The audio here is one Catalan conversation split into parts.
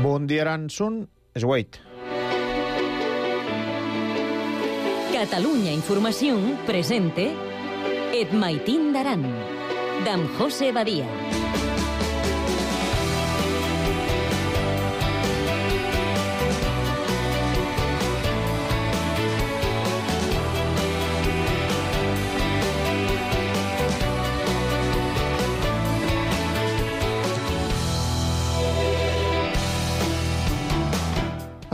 Bon dia, Aransun. Esgueit. Catalunya Informació presente Et Maitín d'Aran, d'en José Badia.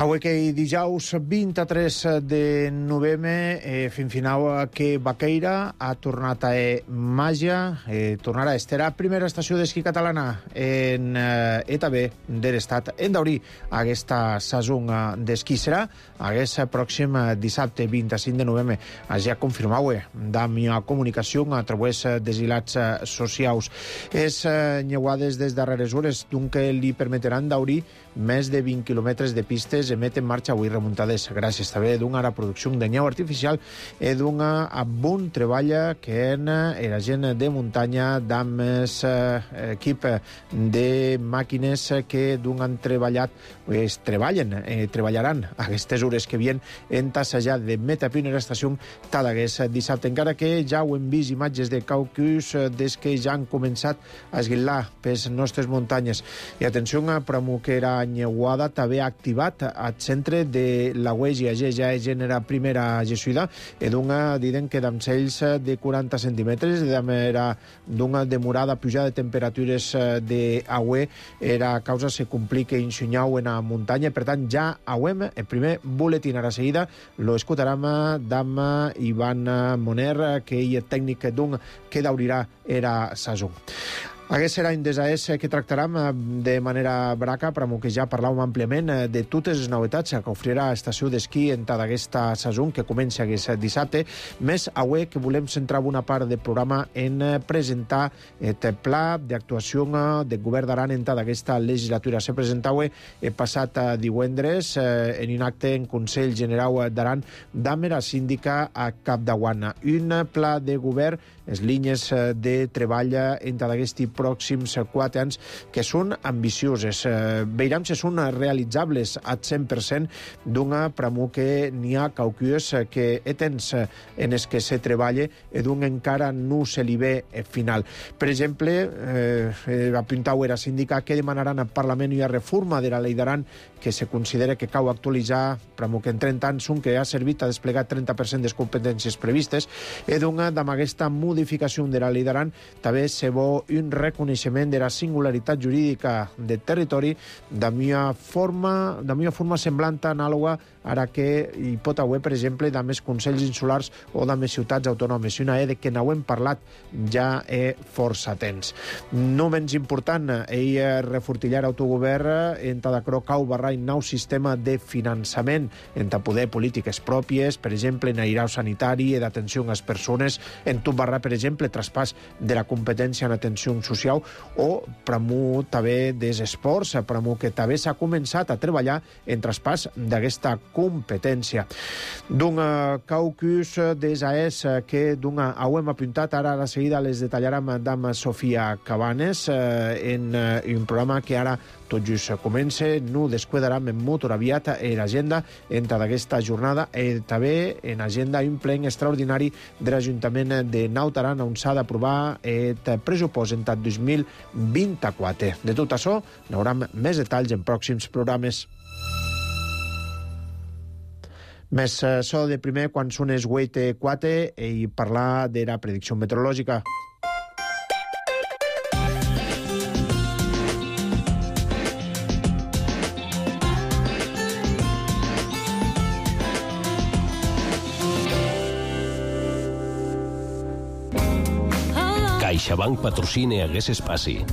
Avui que dijous 23 de novembre, fin final que Baqueira ha tornat a màgia, tornarà a estar a primera estació d'esquí catalana en ETB de l'estat. En d'obrir aquesta saison d'esquí serà aquest pròxim dissabte 25 de novembre. Ja confirmau da mia comunicació a través dels hilats socials. És nyeuades des darreres hores, donc li permetran d'obrir més de 20 quilòmetres de pistes emet en marxa avui remuntades gràcies també d'una producció de neu artificial i d'un bon treball que en la gent de muntanya d'amb equip de màquines que han treballat, treballaran aquestes hores que vien en tassejar de meta primera estació Tadagués dissabte, encara que ja ho hem vist imatges de caucus des que ja han començat a esguilar pels nostres muntanyes. I atenció, Pramuquera Nyeuada també ha activat al centre de la UEGIA, ja és gènere primera jesuïda, i diuen que d'amcells de 40 centímetres, d'una demorada pujada de temperatures d'aigua, era causa se complica insunyau en la muntanya, per tant ja auem el primer boletín a la seguida, lo escoltarem d'amb Ivan Moner, que ell és tècnic que d'obrirà era saison. Aquest serà un desaès que tractarem de manera braca, però que ja parlàvem àmpliament de totes les novetats que ofrirà l'estació d'esquí en tota aquesta saison que comença aquest dissabte. Més avui que volem centrar una part del programa en presentar el pla d'actuació del govern d'Aran en tota aquesta legislatura. Se presentava el passat divendres en un acte en Consell General d'Aran d'amb la síndica a Capdaguana. Un pla de govern, les línies de treball en tota aquests pròxims 4 anys que són ambicioses. Veurem si són realitzables al 100% d'una pramo que n'hi ha caucues que temps en els que se treballa i d'un encara no se li ve final. Per exemple, apuntau era síndica que demanaran al Parlament una reforma de la llei d'Aran que se considera que cau actualitzar pramo que en 30 anys que ha servit a desplegar 30% de les competències previstes i amb aquesta modificació de la llei d'Aran també se vol un reconeixement de la singularitat jurídica del territori de una forma semblant anàloga ara que hi pot haver, per exemple, de més consells insulars o de més ciutats autònomes. Una de que n'hem parlat ja força temps. No menys important, ell refortillar autogovern en Tadacro cau barrar un nou sistema de finançament en poder polítiques pròpies, per exemple, en airau sanitari i d'atenció a les persones, en tot barrar, per exemple, traspàs de la competència en atenció social o pramo també dels esports, pramo que també s'ha començat a treballar en traspàs d'aquesta competència. D'un caucus d'ESAES que hem apuntat, ara a la seguida les detallarem d'amb Sofia Cabanes en un programa que ara tot just comença, no descuidarem en motor aviat l'agenda en aquesta jornada i també en agenda un ple extraordinari de l'Ajuntament de Naut Aran on s'ha d'aprovar el pressupost en 2024. De tot això, n'haurem més detalls en pròxims programes. Més so de primer, quan són les 8:04 i parlar de la predicció meteorològica. CaixaBank patrocina aquest espai.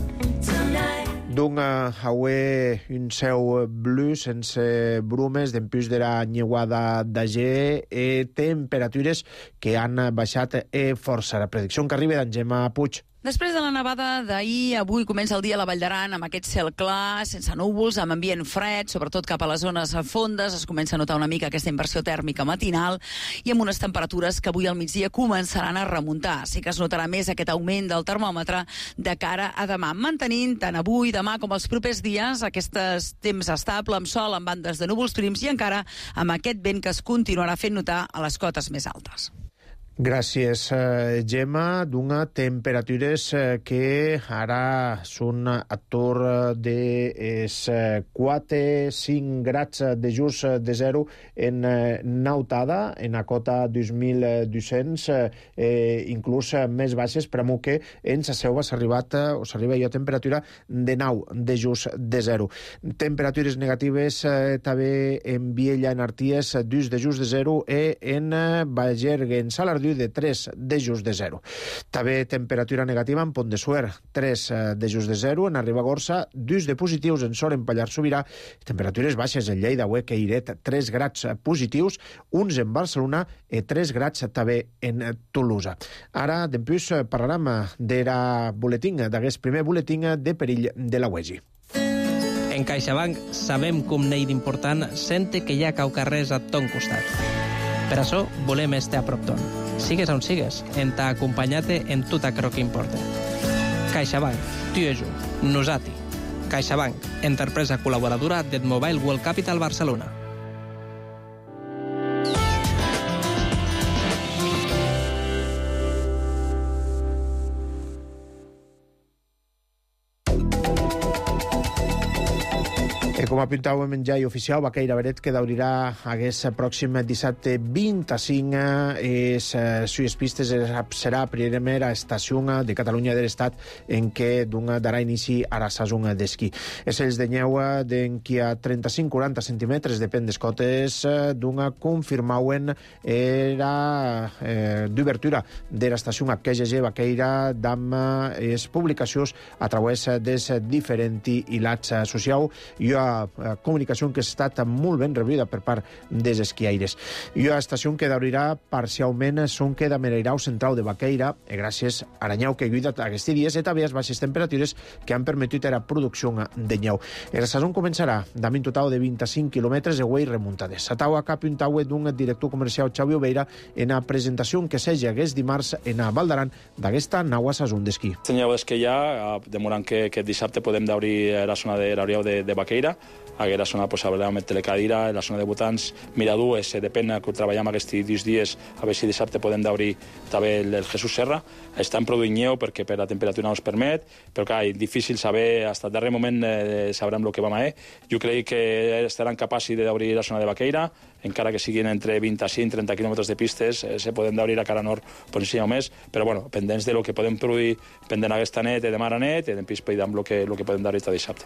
Aué un ceu blu sense brumes d'empús de la nyeuada d'Ager i temperatures que han baixat força. La predicció que arriba d'en Gemma Puig. Després de la nevada d'ahir, avui comença el dia a la Vall d'Aran amb aquest cel clar, sense núvols, amb ambient fred, sobretot cap a les zones fondes. Es comença a notar una mica aquesta inversió tèrmica matinal i amb unes temperatures que avui al migdia començaran a remuntar. Sí que es notarà més aquest augment del termòmetre de cara a demà, mantenint tant avui, demà com els propers dies aquest temps estable, amb sol, amb bandes de núvols prims i encara amb aquest vent que es continuarà fent notar a les cotes més altes. Gràcies, Gemma. D'una temperatures que ara són a torn de 4-5 grads de just de zero en Nautada, en a cota 2.200, inclús més baixes, per amunt que en sa seu s'arriba ja a temperatura de 9 de just de zero. Temperatures negatives també en Viella, en Arties, 2 de just de zero, i en Bagergue, en Salardú, de 3 de just de zero. També temperatura negativa en Pont de Suert, 3 de just de zero, en Ribagorça, 2 de positius en Sort, en Pallars Sobirà, temperatures baixes en Lleida, Hueca i Iret, 3 grads positius, uns en Barcelona i 3 grads també en Tolosa. Ara, d'empús, parlarem d'era boletín, d'aquest primer boletín de perill de la UEGI. En CaixaBank sabem com n'hi d'important sente que hi ha caucarrers a ton costat. Per això volem estar a prop ton. Sigues on sigues, en t'ha acompanyat en tot aquello que importa. CaixaBank, tu i jo, nosati. CaixaBank, empresa col·laboradora del Mobile World Capital Barcelona. Com apuntàvem en jai oficial, Baqueira Beret, que d'obrirà aquest pròxim dissabte 25 sues pistes serà la primera estació de Catalunya de l'Estat en què darà inici a la saison d'esquí. És els de neu d'enqui a 35-40 centímetres, depèn des cotes, confirmauen era d'obertura de l'estació HGG Baqueira d'amb les publicacions a través dels diferents hilats socials. Hi ha comunicació que ha estat molt ben rebuda per part dels esquiaires. I una estació que d'obrirà parcialment són que de Mereirau central de Baqueira, gràcies a la neu que ha lluitat aquests dies i també les baixes temperatures que han permetit la producció de neu. La saison començarà amb un total de 25 quilòmetres de guai remuntades. A taua cap un taua d'un director comercial Xavi Obeira en la presentació que s'hagi aquest dimarts en a Val d'Aran d'aquesta nova saison d'esquí. La neu d'esquí ja, demorant que aquest dissabte podem d'obrir la zona de l'Ariau de Baqueira. Aquesta zona amb telecadira, la zona de votants, Miradues, depèn que treballem aquests dies, a veure si dissabte podem d'obrir també el Jesús Serra. Estan produint neu perquè per la temperatura no ens permet, però clar, és difícil saber, fins al darrer moment sabrem el que vam a Jo crec que estaran capaços d'obrir la zona de Baqueira, encara que siguin entre 25 i 30 quilòmetres de pistes, se poden d'obrir a cara nord per encima més, però bueno, pendents de lo que podem produir pendent aquesta nit i demà a nit, i després peidam el que podem d'obrir aquest dissabte.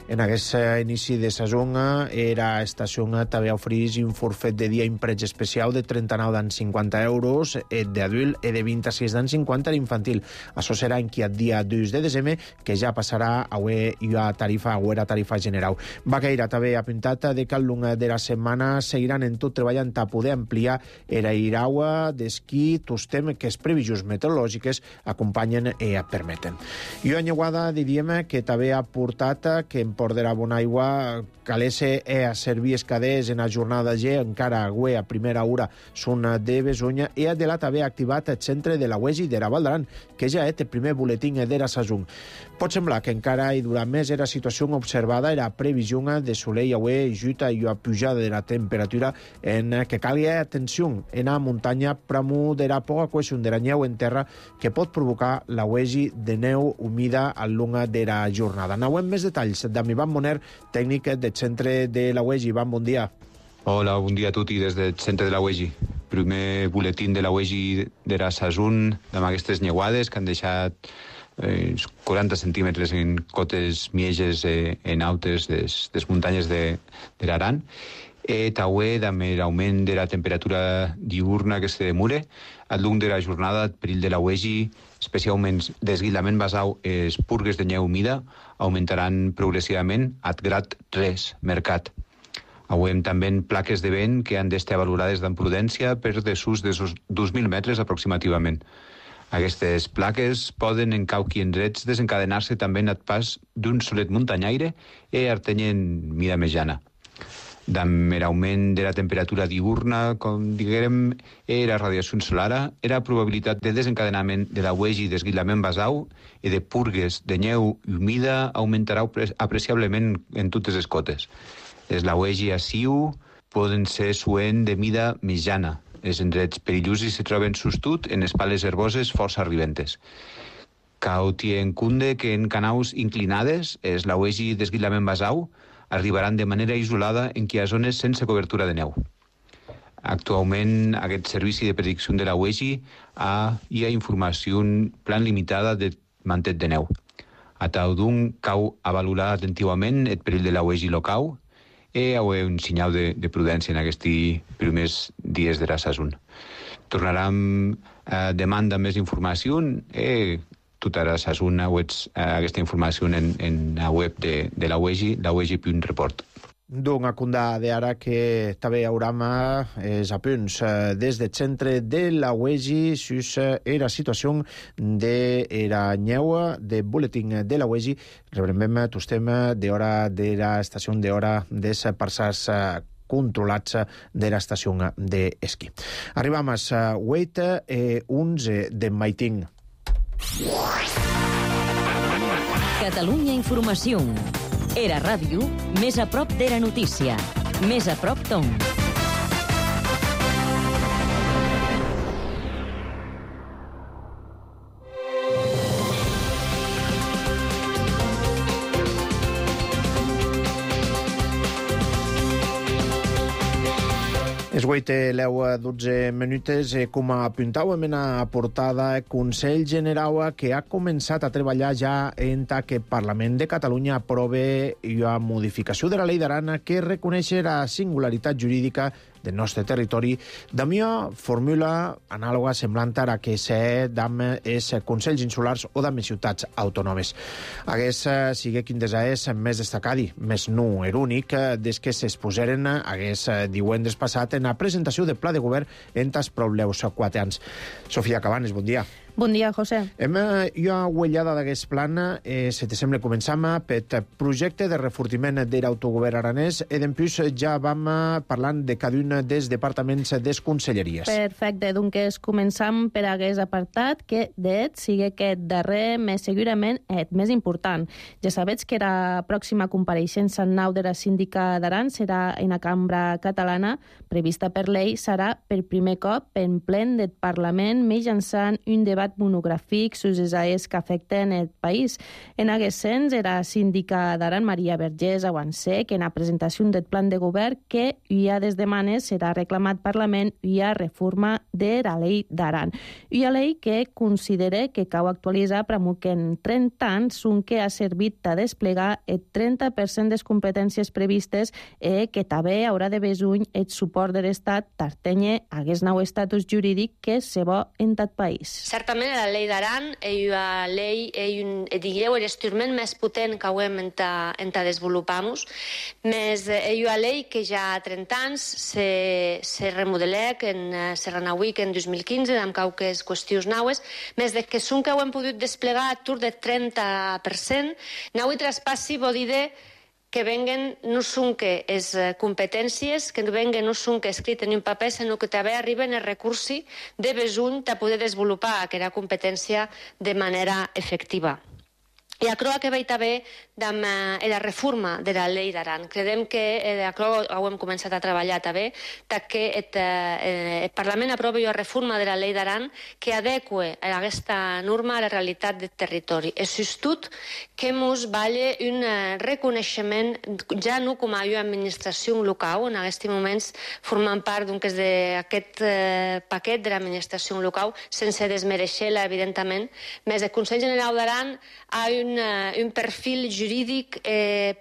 En aquest inici de saison, era estació també ofereix un forfet de dia impreig especial de 39,50 euros d'adult i de 26,50 d'infantil. Això serà en aquest dia 2 de desembre, que ja passarà a la tarifa general. Baqueira també ha apuntat que al llarg de la setmana seguiran en tot treballant a poder ampliar la iraua d'esquí, tostem que les previsions meteorològiques acompanyen i permeten. I una anyuada diríem que també ha portat que en Port de la Bonaigua calesse a servir escaders en la jornada G, encara a primera hora són de Besonya, i de la també activat el centre de la UEGI de la Val d'Aran, que ja és el primer boletín de la saison. Pot semblar que encara hi durà més la situació observada i la previsió de soleil avui juta i la pujada de la temperatura en que calia atenció en la muntanya pramu de la poca cohesió de la neu en terra que pot provocar la UEGI de neu humida al llarg de la jornada. Anauem més detalls d'en Ivan Moner, tècnic del centre de la UEGI. Ivan, bon dia. Hola, bon dia a tutti des del centre de la UEGI. Primer boletín de la UEGI de la saison amb aquestes neuades que han deixat 40 centímetres en cotes mieges en altes des muntanyes de l'Aran. També amb l'augment de la temperatura diurna que se demora, al llarg de la jornada el perill de la UEGI, especialment desguilament basau les purgues de neu humida, augmentaran progressivament al grad 3 mercat. Avui també plaques de vent que han d'estar valorades amb prudència per desús de 2.000 metres aproximativament. Aquestes plaques poden, en cauqui indrets, desencadenar-se també en el pas d'un solet muntanyaire i artenyen mida mitjana. Amb l'augment de la temperatura diurna, com diguem, i la radiació solar, la probabilitat de desencadenament de la uegi d'esguilament basau i de purgues de neu humida augmentarà apreciablement en totes les cotes. Les lauegi a Siu poden ser suent de mida mitjana. Els indrets perillosos se troben sostut en espales herboses força arribentes. Cal tenir en compte que en canaus inclinades, els lauegi d'esguilament basau arribaran de manera isolada en qui hi ha zones sense cobertura de neu. Actualment, aquest servici de predicció de la UEGI hi ha informació plan limitada de mantet de neu. A tal d'un, cal valorar atentivament el perill de la UEGI local i un senyal de prudència en aquests primers dies de la saison. Tornarem a demanda més informació i tota la saison aquesta informació en la web de la UEGI, la uegi.report. D'un acundà d'ara que també hauram els apunts des del centre de la UEGI sus la situació de la neu de boletín de la UEGI. Rebrem tostem d'hora de l'estació d'hora des parçars controlats de l'estació d'esquí. Arribam a 8 i 11 de Maitín. Catalunya Informació. Era ràdio més a prop de la notícia. Més a prop d'on. És 8 i 12 minutes. Com apuntàvem en la portada, el Consell Generau que ha començat a treballar ja en que el Parlament de Catalunya aprove la modificació de la llei d'Aran que reconeix la singularitat jurídica del nostre territori d'una fórmula anàloga semblant a la que s'ha d'amb els Consells Insulars o d'amb les ciutats autònomes. Aguest sigue quin és més destacadi, més no era únic, des que s'exposeren aguest divendres passat en la presentació del Pla de Govern en els propeus 4 anys. Sofia Cabanes, bon dia. Bon dia, José. Hem uellada d'aquest plan, si te sembla, començam pel projecte de refortiment de l'autogovern aranès i d'empús ja vam parlant de cada un dels departaments des conselleries. Perfecte, doncs començam per aquest apartat que d'et sigui aquest darrer més segurament et més important. Ja sabets que la pròxima compareixença en nau de la síndica d'Aran serà en la cambra catalana, prevista per llei, serà per primer cop en plen del Parlament mitjançant un debat monogràfic sobre les AES que afecten el país. En aquest sens, era síndica d'Aran, Maria Vergés, avancé que en la presentació del plan de govern que hi ha des demanes serà reclamat Parlament hi ha reforma de la llei d'Aran. Hi ha llei que considera que cal actualitzar per que en 30 anys un que ha servit a desplegar el 30% de les competències previstes i que també haurà de besuny el suport de l'Estat tartenye aquest nou estatus jurídic que se bo en tot país. Certament la llei d'Aran és una llei, digueu, l'instrument més potent que hem de desenvolupar-nos, més és una llei que ja ha 30 anys se remodelec, se renauic en 2015, amb qualques qüestions naues, més de que són que ho hem pogut desplegar a tur de 30%, nau i traspassi vol dir que venguen no són que les competències, que venguen no són que escrit en un paper, sinó que també arriben els recursos de besuny de poder desenvolupar aquesta competència de manera efectiva. I aquò que veig també amb la reforma de la llei d'Aran. Credem que aquò ho hem començat a treballar també, que el Parlament aprovi la reforma de la llei d'Aran que adequa aquesta norma a la realitat del territori. És just que ens vale un reconeixement, ja no com a administració local, en aquests moments formant part d'aquest paquet de l'administració local, sense desmereixer-la, evidentment, més el Consell General d'Aran ha un perfil jurídic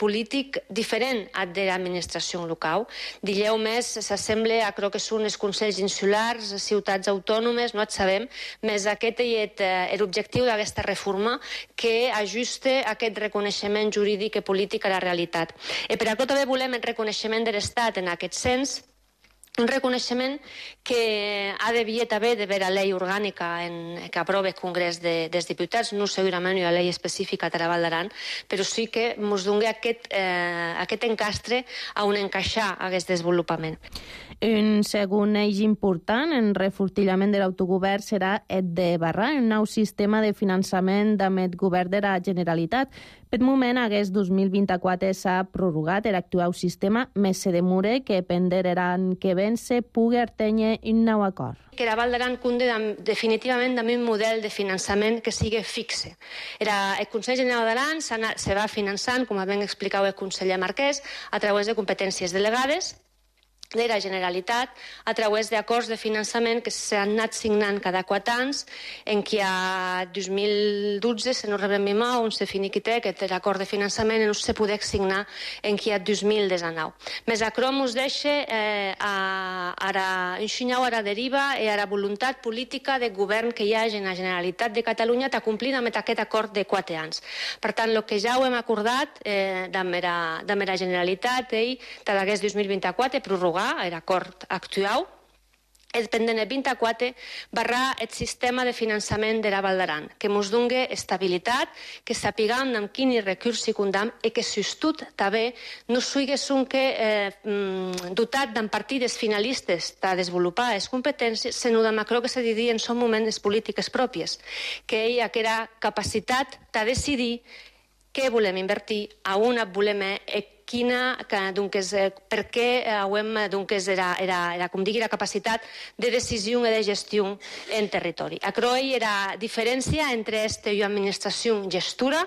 polític diferent al de l'administració local. Digueu més, s'assembla a allò que són els consells insulars, ciutats autònomes, no et sabem, més aquest és l'objectiu d'aquesta reforma que ajusta aquest reconeixement jurídic i polític a la realitat. I per això també volem el reconeixement de l'Estat en aquest sens, un reconeixement que ha d'haver també d'haver la llei orgànica que aprova el Congrés dels Diputats, no segurament una llei específica de la Val d'Aran, però sí que ens doni aquest encastre on encaixar aquest desenvolupament. Un segon eix important en refortillament de l'autogovern serà el de barrar un nou sistema de finançament amb el govern de la Generalitat. Per moment, aquest 2024 s'ha prorrogat l'actual sistema, més se demora que penderaran que ben se pugui artenyer un nou acord. Que la Val d'Aran cunde definitivament amb un model de finançament que sigui fixe. El Consell General d'Aran se va finançant, com ben explicava el conseller Marquès, a través de competències delegades de la Generalitat a través d'acords de finançament que s'han anat signant cada 4 anys, en què a 2012, si no rebem mal, on se finiquita aquest acord de finançament no se podia signar en què a 2019. Més acrò ens deixa un xinyau a la deriva i a la voluntat política de govern que hi ha en la Generalitat de Catalunya de complir amb aquest acord de 4 anys. Per tant, el que ja ho hem acordat amb la Generalitat i d'aquest 2024 prorrogar l'acord actual, és pendent el 24 barrar el sistema de finançament de la Val d'Aran, que ens doni estabilitat, que sapiguem amb quin recurs hi comptem i que, sobretot, també no sigui dotat amb partides finalistes de desenvolupar les competències, sinó de macro que se diria en són moments les polítiques pròpies, que hi ha aquella capacitat de decidir què volem invertir, a on volem per què era, com digui, la capacitat de decisió i de gestió en territori. Aquerò era la diferència entre una administració gestora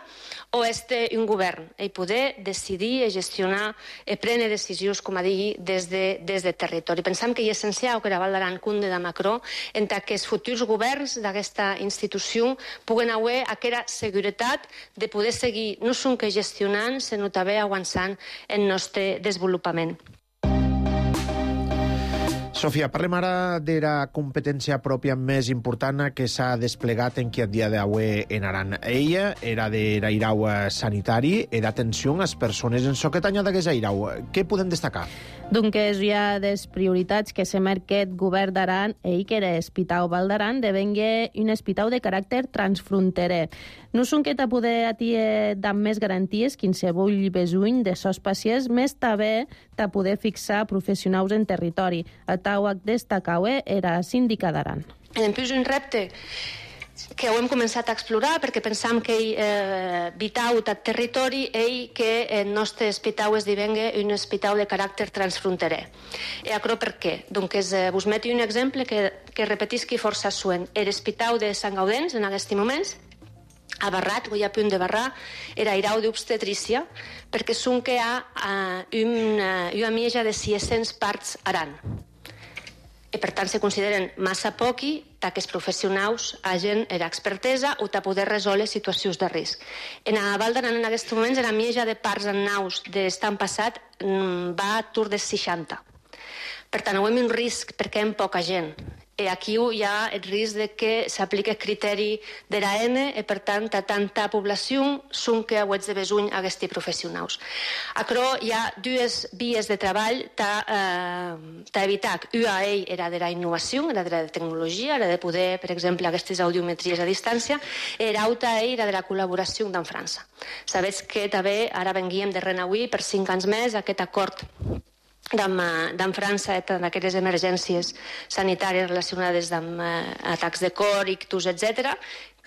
o un govern, i poder decidir i gestionar i prendre decisions, com a digui, des de territori. Pensem que és essencial que la Val d'Aran cunde de macro en que els futurs governs d'aquesta institució puguen haver aquella seguretat de poder seguir no sols gestionant, sinó també avançant el nostre desenvolupament. Sofia, parlem ara de la competència pròpia més important que s'ha desplegat en qui a dia d'avui en Aran. Ella era de l'airau sanitari i d'atenció a les persones en soquetanya d'aquest airau. Què podem destacar? Donc hi ha des prioritats que se marquet govern d'Aran i que l'Hospital Val d'Aran devengue un hospital de caràcter transfronterer. No són que poder atiar amb més garanties qualsevol besoin de sos pacients, més també de poder fixar professionals en territori. El tau destacau era síndica d'Aran. En plus, un repte que ho hem començat a explorar perquè pensam que vital al territori i que el nostre hospital esdevenga un hospital de caràcter transfronterer. I això per què? Doncs vos meti un exemple que repetisqui força suent. L'hospital de Sant Gaudens, en aquests moments, ha barrat, o hi ha punt de barrar, era irau d'obstetrícia, perquè són que hi ha una mitja de 600 parts Aran. I per tant se consideren massa poqui que els professionals hagin l'expertesa o de poder resoldre situacions de risc. En la Val d'Aran en aquests moments la mitja de parts en naus de l'estat passat va a tour de 60. Per tant, hi ha un risc perquè hi ha poca gent. I aquí hi ha el risc de que s'apliqui el criteri de l'AN i, per tant, a tanta població són que heu de besoin aquests professionals. Però hi ha dues vies de treball per evitar. Una era de la innovació, era de la tecnologia, era de poder, per exemple, aquestes audiometries a distància, i l'altra era de la col·laboració amb França. Sabeu que també ara venguíem de renauir per 5 anys més aquest acord d'en França, d'aquestes emergències sanitàries relacionades amb atacs de cor, ictus, etc.,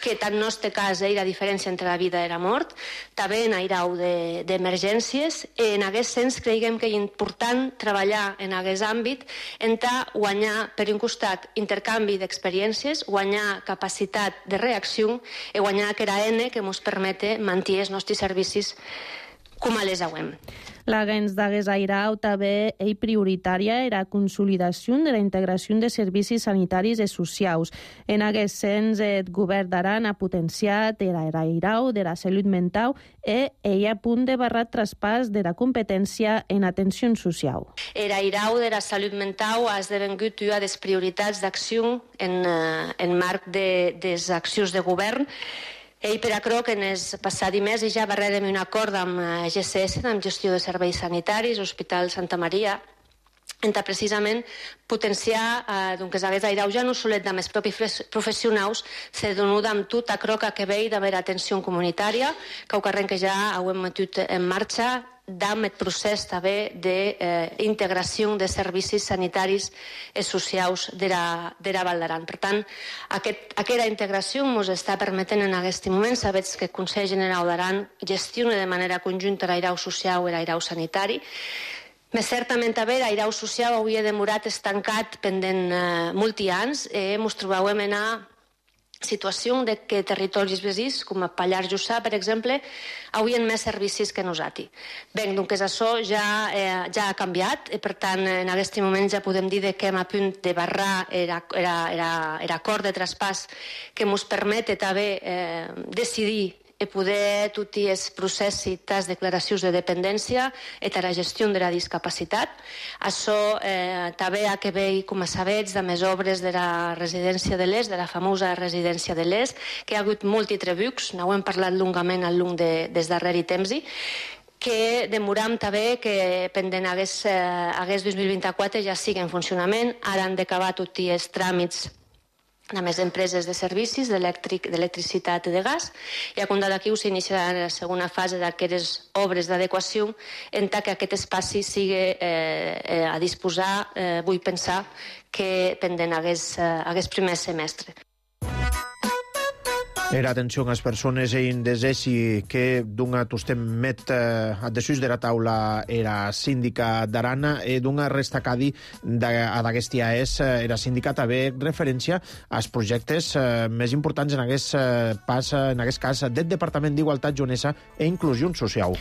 que en el nostre cas la diferència entre la vida i la mort, també en airau d'emergències, i en aquest sens creiem que és important treballar en aquest àmbit en guanyar, per un costat, intercanvi d'experiències, guanyar capacitat de reacció i guanyar aquella eina que ens permet mantenir els nostres servicis com a les hauem. L'agents d'Agues Airau també és prioritària la consolidació de la integració de servicis sanitaris i socials. En aquest sens, el govern d'Aran ha potenciat l'airau de la salut mental i hi ha punt de barrat traspàs de la competència en atenció social. L'airau de la salut mental ha esdevengut una de les prioritats d'acció en marc de les accions de govern. I per això que en el passat mes ja barrem un acord amb GCS, amb Gestió de Serveis Sanitaris, Hospital Santa Maria, entre precisament potenciar doncs hagués airau ja no solet de més propis professionals, se donuda amb tot aquerò que vei d'haver atenció comunitària, que ho carren que ja ho hem metut en marxa, d'am el procés també d'integració de servicis sanitaris i socials de la Val d'Aran. Per tant, aquesta integració ens està permetent en aquest moment, sabets que el Consell General d'Aran gestiona de manera conjunta l'airau social i l'airau sanitari. Més certament també l'airau social havia demorat estancat pendent molts anys i ens trobàvem en una situació de que territoris vesins, com a Pallars Jussà, per exemple, havien més servicis que nosaltres. Bé, doncs això ja ha canviat i, per tant, en aquest moment ja podem dir que hem a punt de barrar l'acord de traspàs que ens permet també decidir i poder tots els processos, les declaracions de dependència i la gestió de la discapacitat. Això també ha que veure, com a sabets, de més obres de la residència de l'Est, de la famosa residència de l'Est, que hi ha hagut molts trebucs, n'ho hem parlat longament al llarg des darreri temps, que demoram també que pendent hagués 2024 ja sigui en funcionament. Ara han d'acabar tots els tràmits a més empreses de servicis, d'electricitat i de gas, i a comptar d'aquí s'iniciarà la segona fase d'aquestes obres d'adequació en tant que aquest espai sigui a disposar, vull pensar, que pendent hagués primer semestre. Era atenció a les persones en desesi que d'una tostem met addesuis de la taula era síndica d'Aran i d'una restacadi d'aquest AES era síndica també referència als projectes més importants en aquest cas del Departament d'Igualtat, Jonesa i Inclusió Social.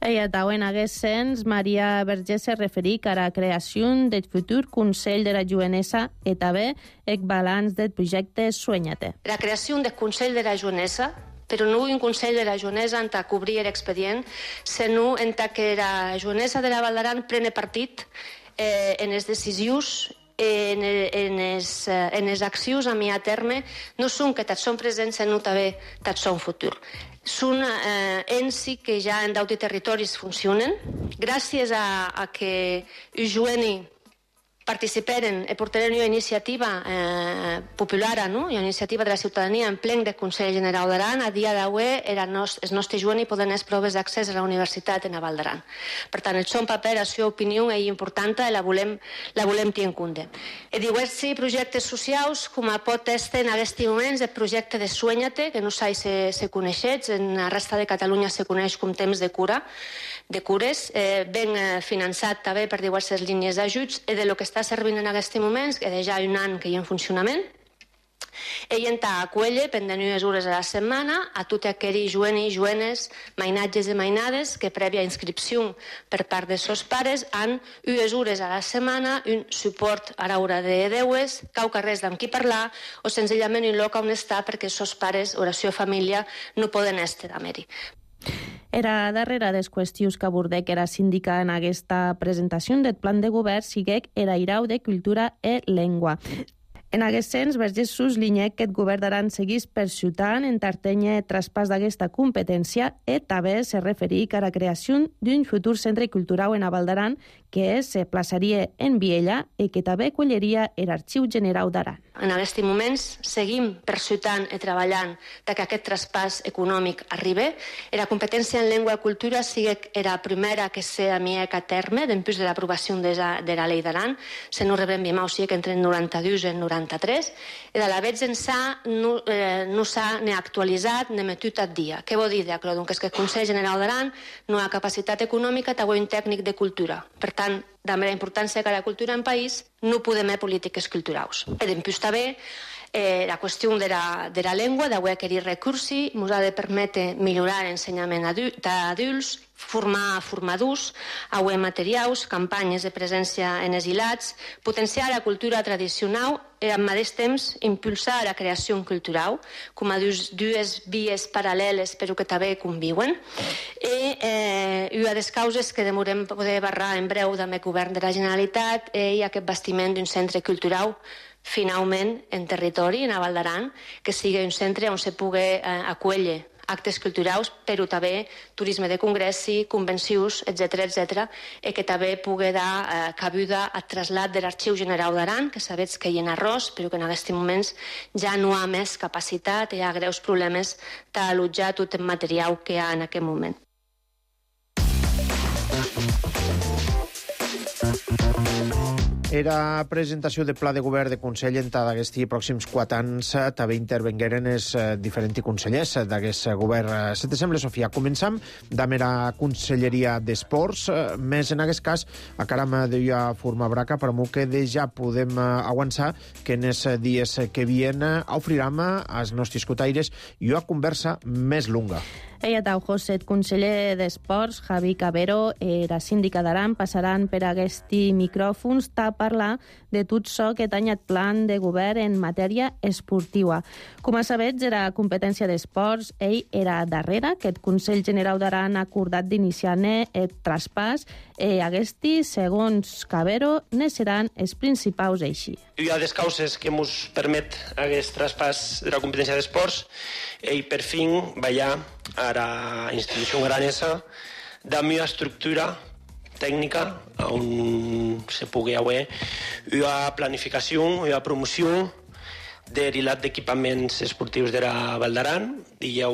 Ella també en aquest sens, Maria Vergés se referí a la creació del futur Consell de la Jovenesa i també el balanç del projecte Sueñate. La creació del Consell de la Jovenesa, però no un Consell de la Jovenesa en tant cobrir l'expedient, sinó en tant que la Jovenesa de la Val d'Aran prene partit en les decisions en les accions a mi a terme, no són que tots són presents, sinó també tots són futur. Són ens que ja en d'altres territoris funcionen. Gràcies a que Joeni participaren i portaren una iniciativa popular, una iniciativa de la ciutadania en plen del Consell General d'Aran. A dia d'avui els nostres joves poden fer proves d'accés a la universitat en la Val d'Aran. Per tant, el seu paper, la seva opinió és important i la volem tenir en compte. I diversos projectes socials, com pot estar en aquests moments el projecte de Sueñate, que no sé si se coneixets, en la resta de Catalunya se coneix com temps de cures, ben finançat també per diverses línies d'ajuts, i de lo que està servint en aquests moments, que ja hi ha un any que hi ha en funcionament. Ell està a Cuelle, pendent unes hores a la setmana, a tot aquells jovenis, jovenes, mainatges i mainades, que prèvia inscripció per part dels seus pares han unes hores a la setmana, un suport a l'hora de deues, cauca res amb qui parlar, o senzillament un lloc on estar perquè els seus pares o la seva família no poden estar d'haver-hi. Era darrere des qüestions que abordec era síndica en aquesta presentació del plan de govern siguec era irau de cultura e llengua. En aquest sens, Vergés suslinyec que el govern d'Aran seguís persutant entertenye traspàs d'aquesta competència i també se referí a la creació d'un futur centre cultural en la Val d'Aran que se plaçaria en Viella i que també acolliria l'Arxiu General d'Aran. En aquests moments seguim persutant i treballant que aquest traspàs econòmic arribi. La competència en llengua i cultura sigui la primera que s'ha miec a terme després de l'aprovació de la llei d'Aran. Se no rebem bimau sigui que entre 92 i 93. I de la vegada ençà no s'ha ni actualitzat ni metut al dia. Què vol dir d'acord? Que el Consell General d'Aran no ha capacitat econòmica, també un tècnic de cultura. Per tant, de la importància que la cultura en país no podem fer polítiques culturals. I després també la qüestió de la llengua, d'avui aquell recursi, ens ha de permetre millorar l'ensenyament d'adults, formar formadors, avui materials, campanyes de presència en exilats, potenciar la cultura tradicional i al mateix temps impulsar la creació cultural com a dues vies paral·leles però que també conviuen. I una de les causes que demorem poder barrar en breu amb el govern de la Generalitat és aquest bastiment d'un centre cultural finalment en territori, en la Val d'Aran, que sigui un centre on se pugui acollir actes culturals, però també turisme de congressi, convencions, etc., que també pugui dar cabuda al trasllat de l'Arxiu General d'Aran, que sabeu que hi ha arròs, però que en aquests moments ja no ha més capacitat, hi ha greus problemes d'allotjar tot el material que hi ha en aquest moment. Era presentació de pla de govern de Consell en d'aquests pròxims 4 anys també intervengueren els diferents consellers d'aquest govern. Se te sembla, Sofia? Començam amb la Conselleria d'Esports, més en aquest cas, a caram de formar braca, però que ja podem avançar que en els dies que vien ofriram als nostres cotaires una conversa més longa. Ella tau José, conseller d'Esports, Javi Cabero, la síndica d'Aran, passaran per aquests micròfons a parlar de tot això que tanya el plan de govern en matèria esportiva. Com a sabets, era competència d'Esports, ell era darrere, que el Consell General d'Aran ha acordat d'iniciar-ne el traspàs, aquests, segons Cabero, ne seran els principals així. Hi ha des causes que ens permet aquest traspàs de la competència d'Esports i per fin veia a la institució aranesa de millor estructura tècnica on se pugui haver una planificació, una promoció de l'hilat d'equipaments esportius de la Val d'Aran i ja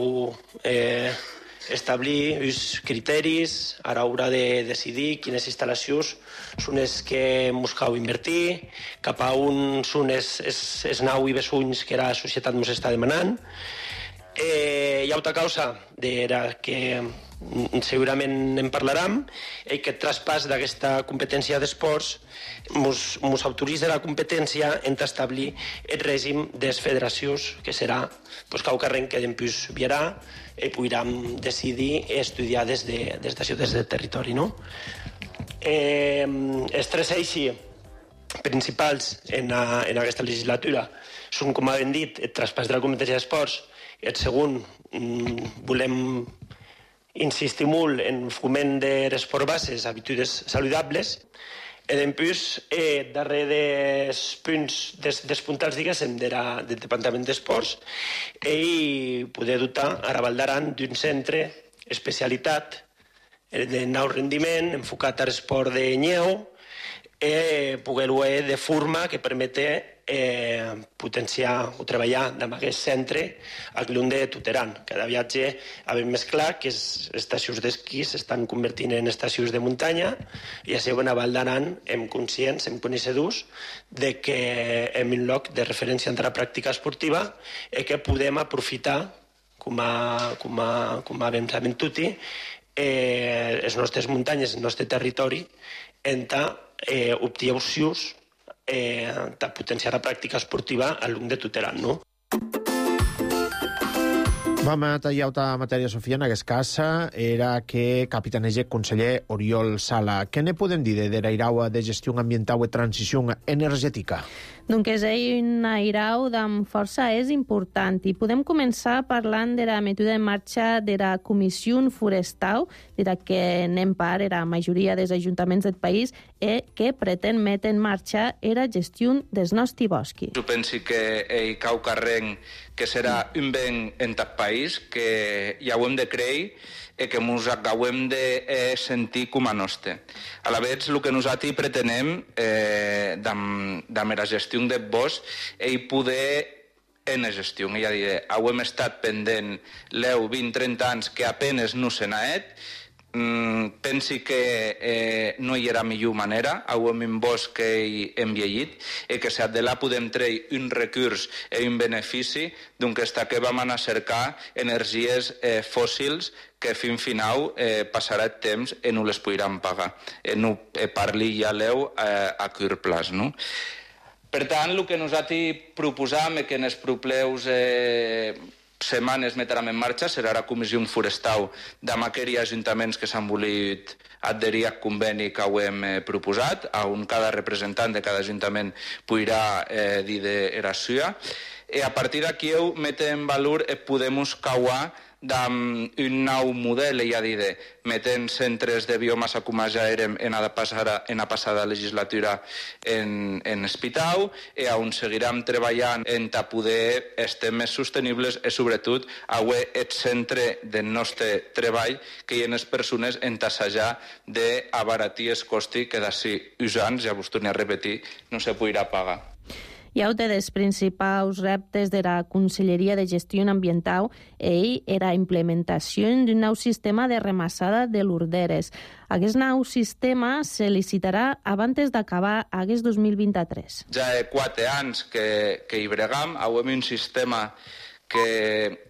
establir els criteris a l'hora de decidir quines instal·lacions són les que ens cal invertir, cap a on són els nau i bessunys que la societat ens està demanant. Hi ha altra causa de la que segurament en parlarem, i que el traspàs d'aquesta competència d'esports ens autoritza la competència en establir el règim de les federacions, que serà cau carrer que després viarà i podrem decidir i estudiar des d'això, des del territori. Els tres eixos principals en aquesta legislatura són, com hem dit, el traspàs de la competència d'esports. El segon, volem insistir molt en foment de l'esport base, habitudes saludables. I després, darrere dels punts, dels puntals, diguéssim, del Departament d'Esports, i poder dotar a la Val d'Aran d'un centre especialitat de nou rendiment, enfocat a l'esport de nyeu, i poder-ho de forma que permeti potenciar o treballar en aquest centre a l'un de tot Aran. Cada viatge havem més clar que les estacions d'esquí s'estan convertint en estacions de muntanya i així a Val d'Aran hem conscients, hem coneixedors de que hem un lloc de referència entre la pràctica esportiva i que podem aprofitar, com vam saber tot, les nostres muntanyes, el nostre territori, en optar opcions de potenciar la pràctica esportiva a l'un de tot Aran, no? Vam tallar altra matèria, Sofia, en aquest cas era que capitanege conseller Oriol Sala. Què ne podem dir de l'airau de gestió ambiental i transició energètica? Doncs ell una irau amb força és important i podem començar parlant de la mètode en marxa de la Comissió Forestal, de la que anem part la majoria dels ajuntaments del país i que pretén metre en marxa la gestió dels nostres boscos. Jo penso que ell cau carrer que serà un ben en tot país, que ja ho hem de creure i que ens acabem de sentir com a nostre. A la vegada, el que nosaltres pretenem amb la gestió del bosc és poder en la gestió. Ja diré, hem estat pendent 10, 20, 30 anys que apenas no se n'ha fet. Pensi que no hi era millor manera, hem un bosc que hem llegit i que si de là podem treure un recurs i un benefici d'aquesta que vam anar a cercar energies fòssils que fins final passarà el temps i no les podran pagar. No parli ja l'eu a curt plaç, no? Per tant, el que nosaltres proposam és que en els propers setmanes metrem en marxa serà la Comissió Forestal d'aquells ajuntaments que s'han volit adherir al conveni que ho hem proposat, on cada representant de cada ajuntament podrà dir de la suya. I a partir d'aquí metem en valor podem cauar d'un nou model, ja dir, metent centres de biomassa com ja érem en la passada legislatura en Espitau, i on seguirem treballant en poder estar més sostenibles i sobretot avui el centre del nostre treball que hi ha les persones en tassejar d'abaratir el costi que d'ací uns anys, ja vos torno a repetir, no se podrà pagar. I un dels principals reptes de la Conselleria de Gestió Ambiental era la implementació d'un nou sistema de remassada de l'Urderes. Aquest nou sistema se licitarà abans d'acabar aquest 2023. Ja hi ha 4 anys que hi bregam, avui un sistema que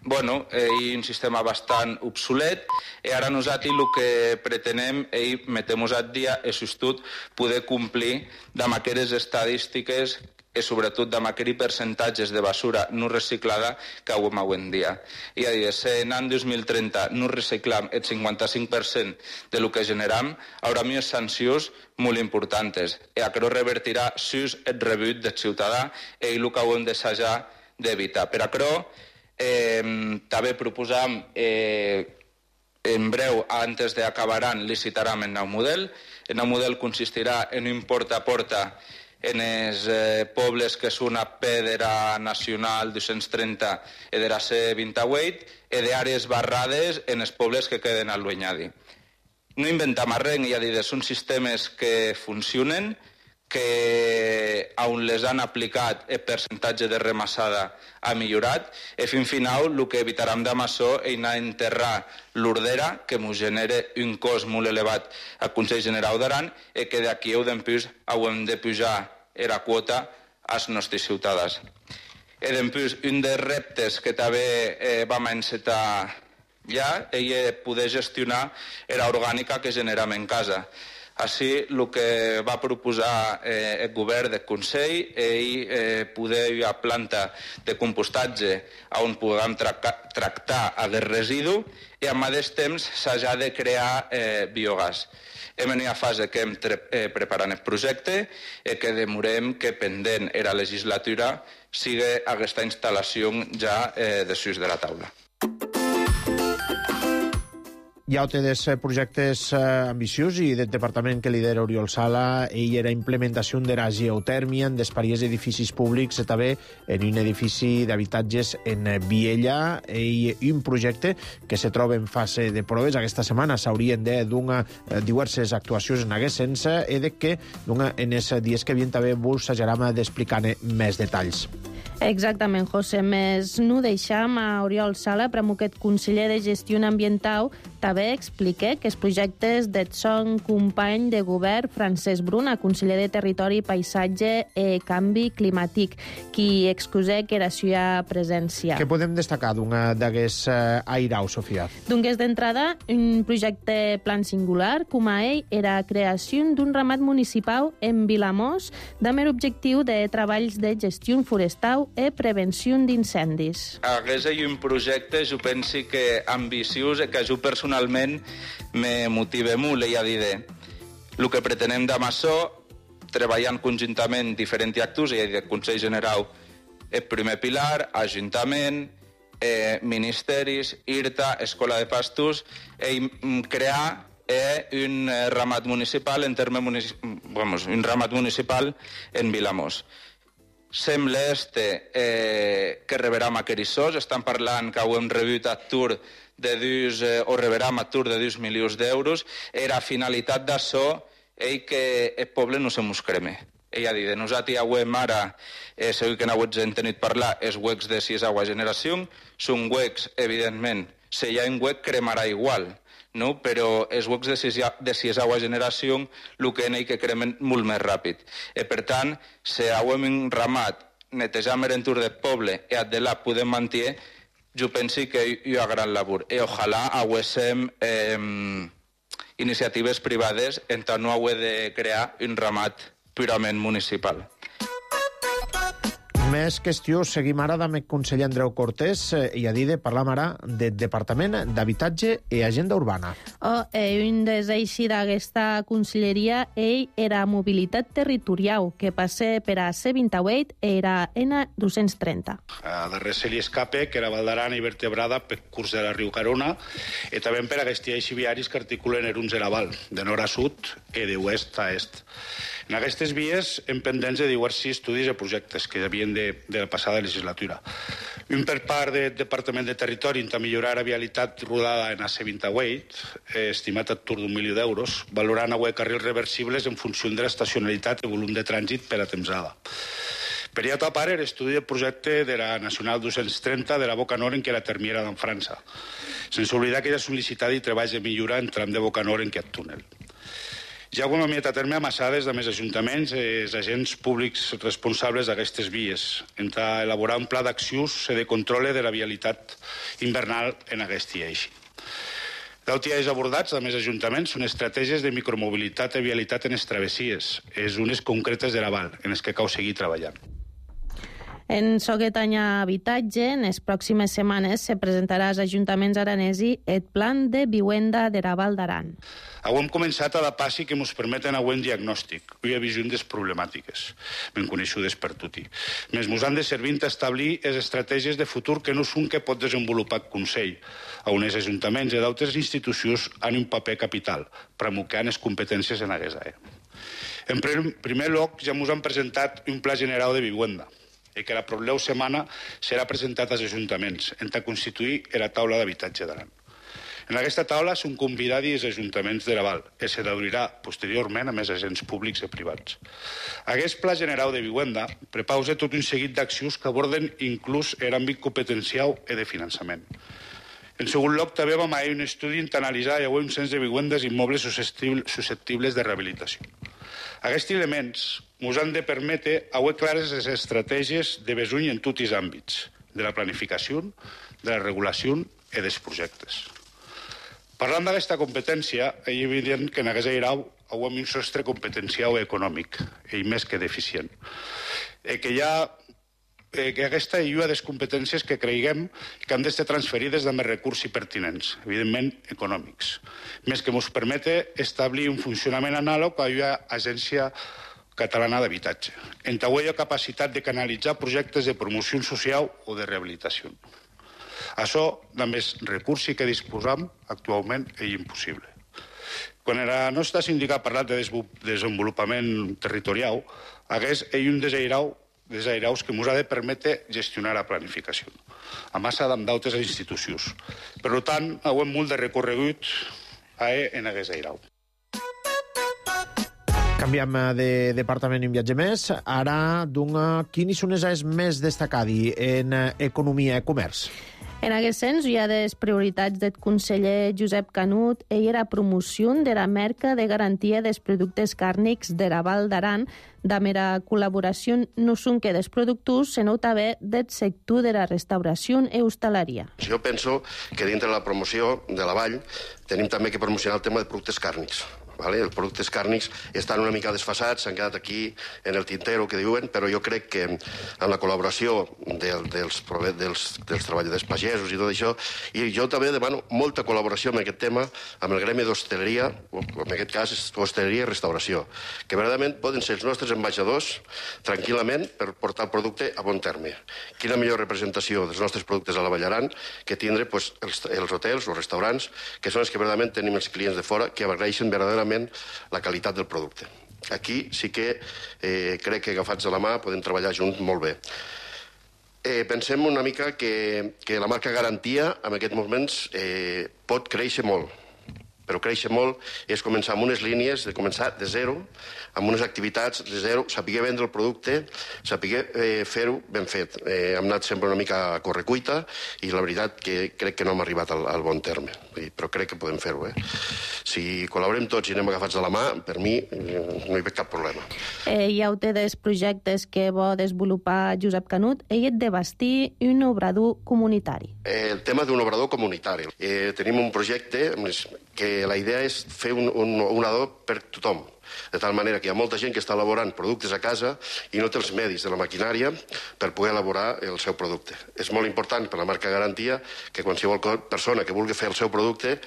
és un sistema bastant obsolet, i ara nosaltres el que pretenem és metem-nos al dia i sobretot poder complir amb aquestes estadístiques i sobretot amb aquells percentatges de basura no reciclada que avui en dia. I a dir, si en l'any 2030 no reciclam el 55% de lo que generam, haurà més sancions molt importants. I això revertirà sus el rebut del ciutadà i el que hem d'assajar d'evitar. Per això també proposam en breu, antes d'acabar, licitarem el nou model. El nou model consistirà en un porta a porta en els pobles que són a Pedra Nacional 230 i de la C28 i d'àrees barrades en els pobles que queden al Lueñadi. No inventem res, ja dir, són sistemes que funcionen, que on les han aplicat el percentatge de remassada ha millorat, i fins final el que evitarem de maçó és anar a enterrar l'Urdera, que ens genera un cost molt elevat al Consell General d'Aran, i que d'aquí hem de pujar la quota als nostres ciutadans. I després, un dels reptes que també vam encetar ja és poder gestionar l'orgànica que generem en casa. Així, el que va proposar el govern del Consell és poder hi ha planta de compostatge on puguem tractar aquest residu i al mateix temps s'ha de crear biogàs. Hem en una fase que hem preparant el projecte i que demorem que pendent la legislatura sigui aquesta instal·lació ja desús de la taula. Hi ha altres projectes ambiciosos i del departament que lidera Oriol Sala i la implementació de la geotèrmia en diversos edificis públics, també en un edifici d'habitatges en Viella, i un projecte que se troba en fase de proves. Aquesta setmana s'haurien de donar diverses actuacions en aquest sens i que en els dies que vien també vos s'ajaram d'explicar més detalls. Exactament, José. Més no deixam a Oriol Sala, aquest conseller de Gestió Ambiental, també explica que els projectes del son company de govern Francesc Bruna, conseller de Territori, Paisatge i Canvi Climàtic, qui excusa que era seva presència. Què podem destacar d'aquest airau, Sofia? Doncs d'entrada, un projecte plan singular, com a ell, era la creació d'un ramat municipal en Vilamós, amb l'objectiu de treballs de gestió forestal i prevenció d'incendis. Aquest és un projecte, jo penso que ambiciós i que jo personalment me motiva molt, ja diré. El que pretenem de maçó, treballant conjuntament diferents actors, ja diré, Consell General, el primer pilar, Ajuntament, ministeris, IRTA, Escola de Pastos, i crear un ramat municipal un ramat municipal en Vilamós. Sembla que reberam a Querissós, estan parlant que ho hem rebut a Tur o reberam a Tur de 2 milions d'euros. Era finalitat d'això que el poble no se mos creme. Ella dit, nosaltres avem ara, segur que n'heu tenit parlar, els huecs de si és aigua generació, són huecs, evidentment, si hi ha un huec cremarà igual, no? Però els huecs de si és aigua generació, el que n'hi que cremen molt més ràpid. I per tant, si avem un ramat, netejam l'entorn del poble i de la podem mantenir, jo penso que hi ha gran labor. I ojalà haguéssim iniciatives privades en tant no haver de crear un ramat purament municipal. Més qüestió, seguim ara amb el conseller Andreu Cortés i a dir de parlar ara del Departament d'Habitatge i Agenda Urbana. Un des eixi d'aquesta conselleria era mobilitat territorial, que passa per a C28 era N230. A darrere se li escape, que era Val d'Aran i vertebrada per curs de la riu Carona, i també per aquests eixis viaris que articulen Eruns de la Val, de nord a sud i de oest a est. En aquestes vies hem pendents de diversos estudis i projectes que havien de la passada legislatura. Un per part del Departament de Territori per millorar la vialitat rodada en AC28, estimat a tur d'1 milió d'euros, valorant avui carrils reversibles en funció de l'estacionalitat i volum de trànsit per a temsada. Per altra part, l'estudi del projecte de la Nacional 230 de la Boca Nord en què la termiera d'en França, sense oblidar que ja ha sol·licitat i treballs de millora en tram de Boca Nord en aquest túnel. Ja ho hem enviat a terme amassades de més ajuntaments i els agents públics responsables d'aquestes vies, entre elaborar un pla d'accions de control de la vialitat invernal en aquest eix. D'altres eixos abordats de més ajuntaments són estratègies de micromobilitat i vialitat en les travessies, és unes concretes de la Val, en les que cal seguir treballant. En aquest any habitatge, en les pròximes setmanes se presentarà als ajuntaments aranesi el plan de vivienda de la Val d'Aran. Avui hem començat a la passi que ens permeten avui un diagnòstic i una visió des problemàtiques, ben coneixudes per tutti. Més ens han de servir a establir les estratègies de futur que no són que pot desenvolupar el Consell, on els ajuntaments i d'altres institucions han un paper capital, promulgant les competències en aquesta àrea. En primer lloc, ja ens han presentat un pla general de vivenda, i que la propera setmana serà presentat als ajuntaments, en constituir la taula d'habitatge d'Aran. En aquesta taula són convidats els ajuntaments de la Val, que se d'obrirà posteriorment amb els agents públics i privats. Aquest pla general de vivenda prepausa tot un seguit d'accions que aborden inclús l'àmbit competencial i de finançament. En segon lloc, també vam fer un estudi per analitzar un cens de vivendes immobles susceptibles de rehabilitació. Aquests elements ens han de permetre haver clares les estratègies de besuny en tots els àmbits, de la planificació, de la regulació i dels projectes. Parlant d'aquesta competència, és evident que en aquest grau hem un sostre competencial i econòmic, i més que deficient. Que aquesta és una de les competències que creiem que han d'estar transferides de més recursos pertinents, evidentment econòmics, més que ens permete establir un funcionament anàleg a una agència catalana d'habitatge, en la capacitat de canalitzar projectes de promoció social o de rehabilitació. Això, amb els recursos que disposam actualment, és impossible. Quan el nostre sindicat ha parlat de desenvolupament territorial, aquest és un dels airaus que ens ha de permetre gestionar la planificació, a massa d'altres institucions. Per tant, hem molt de recorregut en aquest airau. Canviem de departament i un viatge més. Ara, quines són les àrees més destacades en economia i comerç? En aquest sens, hi ha les prioritats del conseller Josep Canut i la promoció de la marca de garantia dels productes càrnics de la Val d'Aran, amb la col·laboració no són que dels productors, sinó també del sector de la restauració i hostaleria. Jo penso que dintre de la promoció de la Vall tenim també que promocionar el tema de productes càrnics. Els productes càrnics estan una mica desfasats, s'han quedat aquí en el tintero, que diuen, però jo crec que amb la col·laboració dels treballadors pagesos i tot això, i jo també demano molta col·laboració en aquest tema amb el gremi d'hostaleria, en aquest cas hostaleria i restauració, que verdaderament poden ser els nostres ambaixadors tranquil·lament per portar el producte a bon terme. Quina millor representació dels nostres productes a la Vall d'Aran que tindre els hotels, els restaurants, que són els que verdaderament tenim els clients de fora, que agraeixen verdaderament la qualitat del producte. Aquí sí que crec que agafats de la mà podem treballar junts molt bé. Pensem una mica que la marca Garantia en aquests moments pot créixer molt, però créixer molt és començar amb unes línies, de començar de zero, amb unes activitats de zero, saber vendre el producte, saber fer-ho ben fet. Hem anat sempre una mica a correcuita i la veritat que crec que no hem arribat al bon terme, però crec que podem fer-ho. Si col·laborem tots i anem agafats de la mà, per mi no hi veig cap problema. Hi ha dels projectes que vol desenvolupar Josep Canut, ell és de bastir un obrador comunitari. El tema d'un obrador comunitari. Tenim un projecte que la idea és fer un adob per tothom, de tal manera que hi ha molta gent que està elaborant productes a casa i no té els medis de la maquinària per poder elaborar el seu producte. És molt important per la marca Garantia que qualsevol persona que vulgui fer el seu producte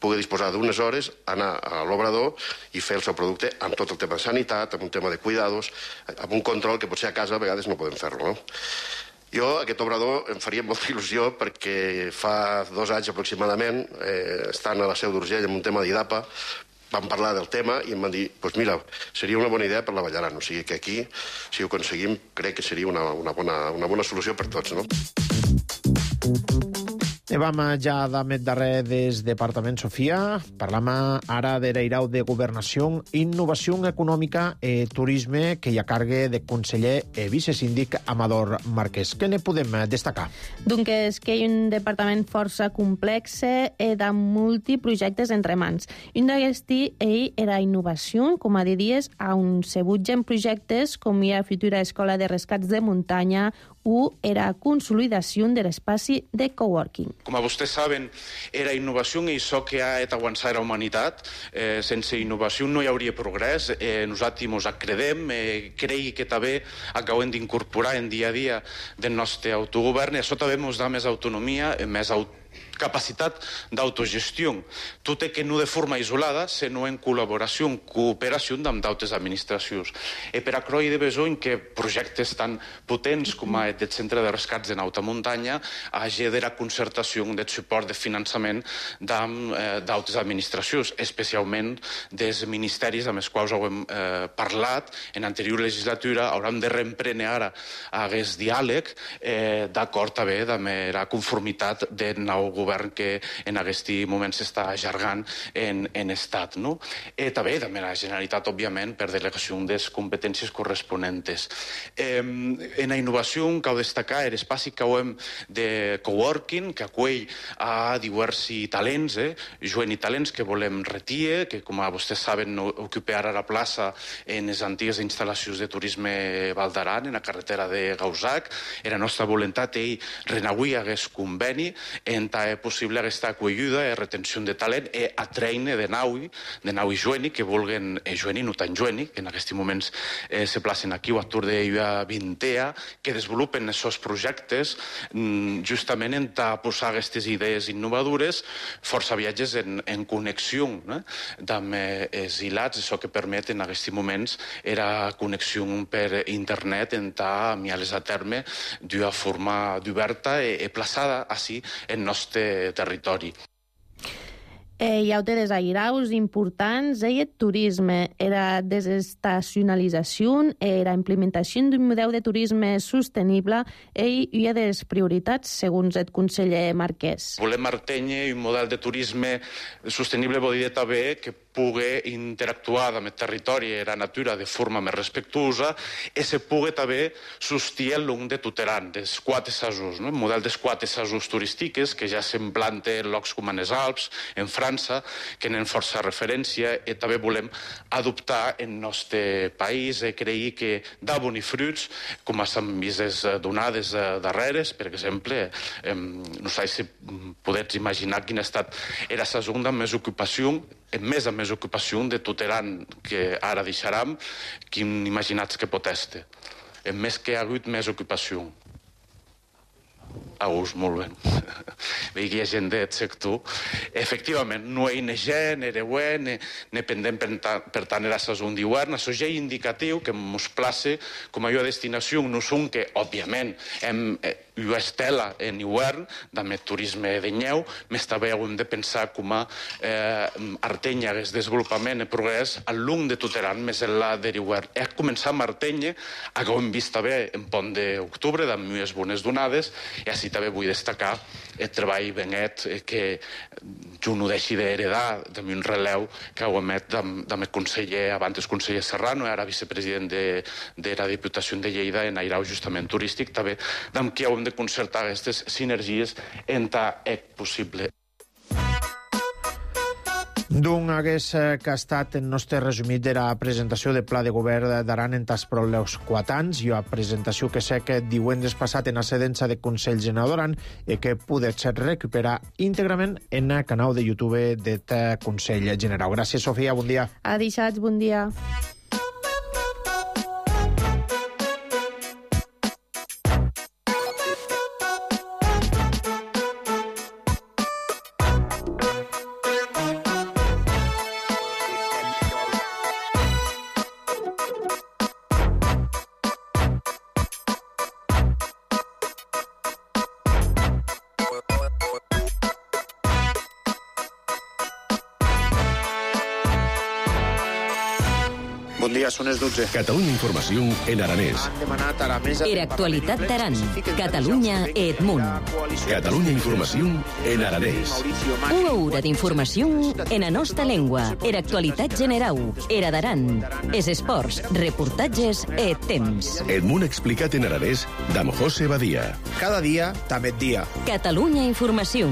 pugui disposar d'unes hores, anar a l'obrador i fer el seu producte amb tot el tema de sanitat, amb un tema de cuidados, amb un control que potser a casa a vegades no podem fer-lo, no? Jo, aquest obrador, em faria molta il·lusió perquè fa 2 anys aproximadament, estant a la Seu d'Urgell amb un tema d'IDAPA, vam parlar del tema i em van dir, doncs mira, seria una bona idea per la Vall d'Aran. O sigui que aquí, si ho aconseguim, crec que seria una bona solució per tots, no? Vam ja d'amet darrer des Departament Sofia. Parlam ara de l'Eirau de Governació, Innovació Econòmica i Turisme, que hi ha cargue de conseller i vicesíndic Amador Marquès. Què ne podem destacar? Doncs que hi ha un departament força complex i de multiprojectes entre mans. Un d'aquests era innovació, com a diries, a un sebutgen projectes com hi ha futura escola de rescats de muntanya o era consolidació de l'espai de coworking. Com vostès saben, era innovació i això que ha avançat la humanitat. Sense innovació no hi hauria progrés. Nosaltres ens acredem, creiem que també acabem d'incorporar en dia a dia del nostre autogovern i això també ens dà més autonomia, més capacitat d'autogestió. Tot i que no de forma isolada, sinó en col·laboració, en cooperació amb d'altres administracions. I per això hi ha besoin que projectes tan potents com el Centre de Rescats en Alta Muntanya hagi de la concertació del suport de finançament d'altres administracions, especialment dels ministeris amb els quals hem parlat en l'anterior legislatura. Hauran de reemprendre ara aquest diàleg d'acord també amb la conformitat del nou govern que en aquest moment s'està allargant en estat. I també la Generalitat, òbviament, per delegació de les competències corresponents. En la innovació cal destacar l'espai que hem de coworking, que acull a diversos talents, joves i talents que volem retirar, que com vostès saben ocupa ara la plaça en les antigues instal·lacions de turisme Vall d'Aran, en la carretera de Gausac. La nostra voluntat és renauir aquest conveni en tant possible aquesta acollida i retenció de talent i atreine de nau i joeni que vulguen, joeni no tan joeni, que en aquests moments se placen aquí o a Tour de Vintea, que desenvolupen aquests projectes justament en posar aquestes idees innovadores, força viatges en connexió amb els hilats, això que permet en aquests moments era connexió per internet en miales a terme d'una forma oberta i plaçada així en nostre territori. Hi ha altres airaus importants, el turisme, la desestacionalització, la implementació d'un model de turisme sostenible i hi ha des prioritats, segons el conseller Marquès. Volem mantenir un model de turisme sostenible, vol dir també que pugui interactuar amb el territori i la natura de forma més respectuosa i se pugui també sustir el long de Tuteran, dels 4 assajos, el model dels 4 assajos turístics que ja s'implanta en llocs com els Alps, en França, que tenen força referència i també volem adoptar en el nostre país i creure que dà bons fruits, com s'han vist donades darreres. Per exemple, no sé si podeu imaginar quina ha estat la segona més ocupació de Tuteran que ara deixarem, quin imaginats que pot estar. En més que hi ha hagut més ocupació. A gust, molt bé. Veig que hi ha gent del sector. Efectivament, no hi ha gent, era bueno, ne pendent per tant era sezon d'hivern. Això ja és indicatiu que ens place com a destinació, no són que, òbviament, hem una estela en hivern, amb el turisme de nyeu, més també hem de pensar com a Artenya hagués desenvolupament i progrés al long de Tuteran, més enllà de l'hivern. He començat a Artenya, que ho hem vist també en pont d'octubre, amb unes bones donades, i així també vull destacar el treball benet que jo no deixi d'heredar d'un relleu que ho emet amb el conseller, abans el conseller Serrano, ara vicepresident de la Diputació de Lleida en airau justament turístic, també amb qui hem de concertar aquestes sinergies en tant és possible. D'un hagués que ha estat el nostre resumit de la presentació del Pla de Govern d'Aran en tas pròlegs 4 anys, i la presentació que sé que divendres passat en la sedença de Consell General d'Aran i que podets recuperar íntegrament en el canal de YouTube del Consell General. Gràcies, Sofia, bon dia. Adixats, bon dia. Bon dia, són les 12. Catalunya Informació en aranès. Han demanat a la mesa... Era actualitat d'Aran. Catalunya Edmunt. Catalunya Informació en aranès. Una hora d'informació en la nostra llengua. Era actualitat general. Era d'Aran. Es esports, reportatges e temps. Edmunt explicat en aranès d'Am José Badia. Cada dia, també dia. Catalunya Informació.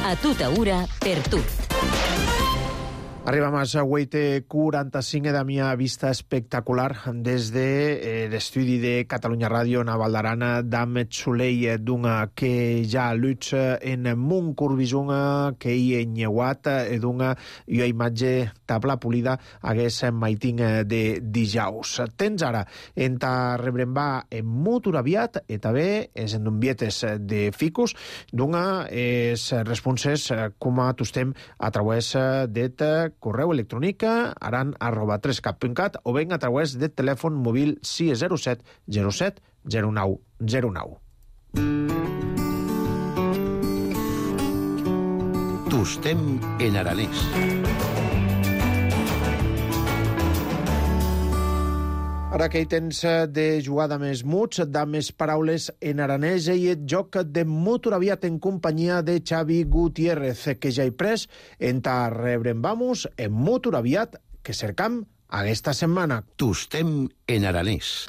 A tota hora, per tot. Arribam a Sagüeite 45 de mia vista espectacular des de l'estudi de Catalunya Ràdio en Val d'Aran d'Ahmed Soleil d'una que ja luts en mun curvisung que hi nyeuat d'una i imatge tabla polida hagués maiting de dijaus. Tens ara en ta rebrembar en mutur aviat i també és en vietes de ficus d'una és responses com a tostem a través de correu electrònic aran@3cat.cat o ben a través del telèfon mòbil 607 07 09 09. Tostem en aranès. Ara que hi tens de jugar de més muts, de més paraules en aranès i el joc de Mutur aviat en companyia de Xavi Gutiérrez, que ja hi pres en ta rebrembamos en Mutur aviat que cercam aquesta setmana. Tostem en aranès.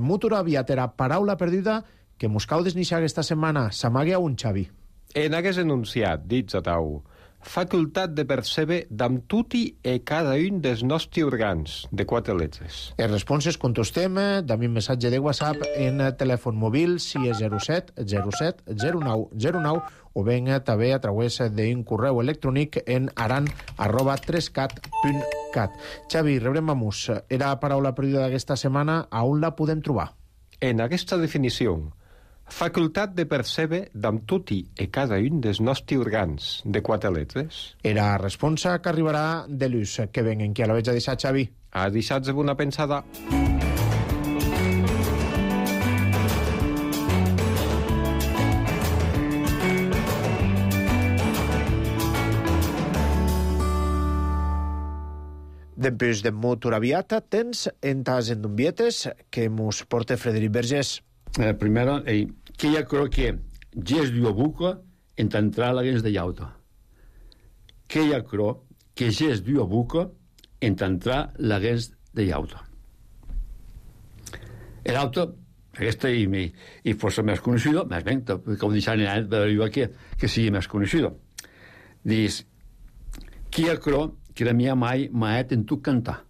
Mutur aviat era paraula perduda que mos cau desnixar aquesta setmana. S'amague a un, Xavi. En hagués enunciat, dits a tau, facultat de percebre d'am tutti e cada un dels nostres organs, de 4 lletres. Les responses contestem d'ami missatge de WhatsApp en telèfon mòbil 607 07 09 09 o ben també a través d'un correu electrònic en aran@3cat.cat. Xavi, rebrem amus. Era la paraula perduda d'aquesta setmana, a on la podem trobar? En aquesta definició, facultat de percebre d'am tutti e cada un dels nostres organs, de 4 lletres. Era responsa que arribarà de l'ús. Que venguen, qui a la veig a deixar, Xavi? A deixats una pensada. Dempús de Mutur aviat, tens en tas endumbietes que mos porta Frederic Vergés. Primero, que ja creo que ges dio buca en t'entrar la gens de llauta. Que ja creo que ges dio buca en t'entrar la gens de llauta. L'auta, aquesta i força més conocido, més ben, com deixant en any, però que sigui més conocido. Dius, que ja creo que la mia mai maet en tu cantar.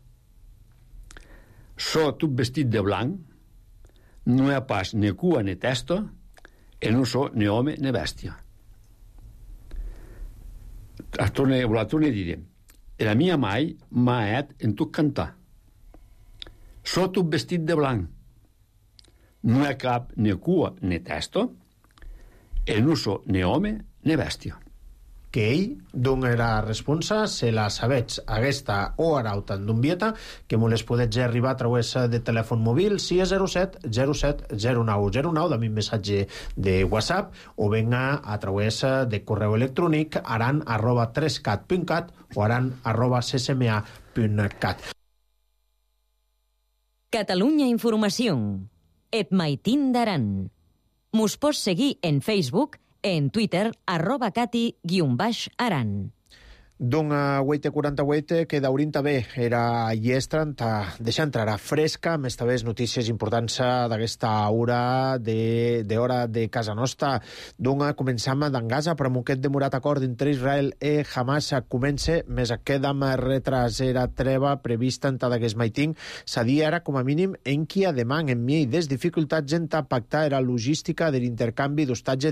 So tot vestit de blanc, no hi ha pas ni cua ni testa, e no so ni home ni bèstia. La torne a dir, la mia mai maet en tu cantar. So tot vestit de blanc, no hi ha cap ni cua ni testa, e no so ni home ni bèstia. Que ell dona la responsa, se la sabets aquesta o arauta d'Umbieta, que me les podets arribar a través de telèfon mòbil 607 07 09 09 de mi missatge de WhatsApp o venga a través de correu electrònic aran@3cat.cat o aran@ccma.cat. Catalunya Informació. Et maitin d'Aran. Mos pots seguir en Facebook, en Twitter, @cati_aran. D'un 8:48 que d'Aurin també era llestra, deixa entrar a fresca, més també notícies importants d'aquesta hora d'hora de casa nostra. D'un començam d'en Gaza, però amb aquest demorat acord entre Israel i Hamas comença, més queda amb retrasera treva prevista en d'aquest maiting, s'adia ara com a mínim en qui demà en mi des dificultats en pactar la logística de l'intercanvi d'hostatge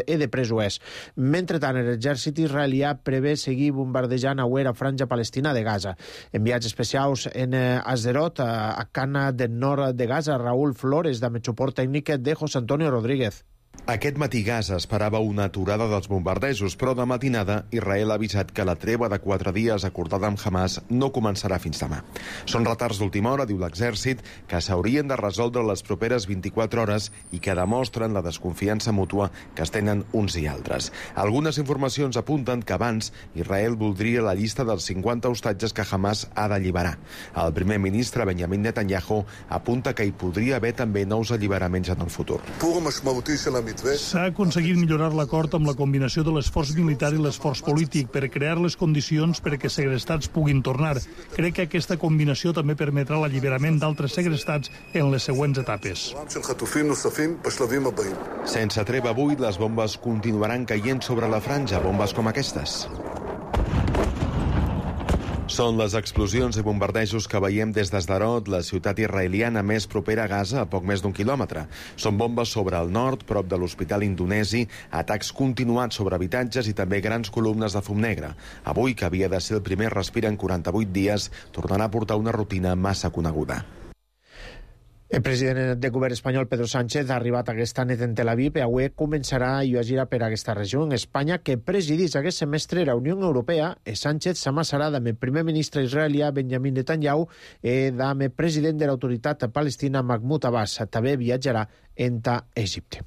i de presos. Mentrestant, l'exèrcit israelià prevé seguir bombardejant a la franja palestina de Gaza. Enviats especials en Asderot, a Cana del nord de Gaza, Raúl Flores, de suport tècnic de José Antonio Rodríguez. Aquest matí Gaza esperava una aturada dels bombardejos, però de matinada Israel ha avisat que la treva de 4 dies acordada amb Hamas no començarà fins demà. Són retards d'última hora, diu l'exèrcit, que s'haurien de resoldre les properes 24 hores i que demostren la desconfiança mútua que es tenen uns i altres. Algunes informacions apunten que abans Israel voldria la llista dels 50 hostatges que Hamas ha d'alliberar. El primer ministre Benjamin Netanyahu apunta que hi podria haver també nous alliberaments en el futur. S'ha aconseguit millorar l'acord amb la combinació de l'esforç militar i l'esforç polític per crear les condicions perquè segrestats puguin tornar. Crec que aquesta combinació també permetrà l'alliberament d'altres segrestats en les següents etapes. Sense treva avui, les bombes continuaran caient sobre la franja, bombes com aquestes. Són les explosions i bombardejos que veiem des d'Asderot, la ciutat israeliana més propera a Gaza, a poc més d'1 quilòmetre. Són bombes sobre el nord, prop de l'hospital indonesi, atacs continuats sobre habitatges i també grans columnes de fum negre. Avui, que havia de ser el primer respir en 48 dies, tornarà a portar una rutina massa coneguda. El president del govern espanyol, Pedro Sánchez, ha arribat aquesta nit en Tel Aviv i avui començarà a gira per aquesta regió. En Espanya, que presidís aquest semestre la Unió Europea, Sánchez s'amassarà amb el primer ministre israelià Benjamin Netanyahu i amb el president de l'autoritat palestina Mahmoud Abbas. També viatjarà a Egipte.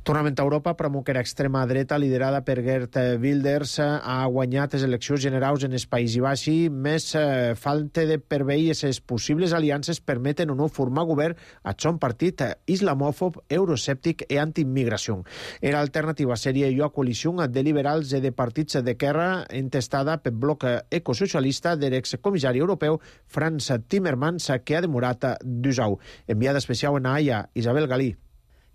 Tornem a Europa, però que l'extrema dreta, liderada per Geert Wilders, ha guanyat les eleccions generals en el País Basc, més falta de preveure les possibles aliances permeten o no formar govern a son partit islamòfob, euroscèptic i antiimmigració. Era alternativa seria a coalició de liberals i de partits d'esquerra entestada pel bloc ecosocialista de l'excomissari europeu Frans Timmermans, que ha demorat 2 anys. Enviada especial en Haia, Isabel Galí.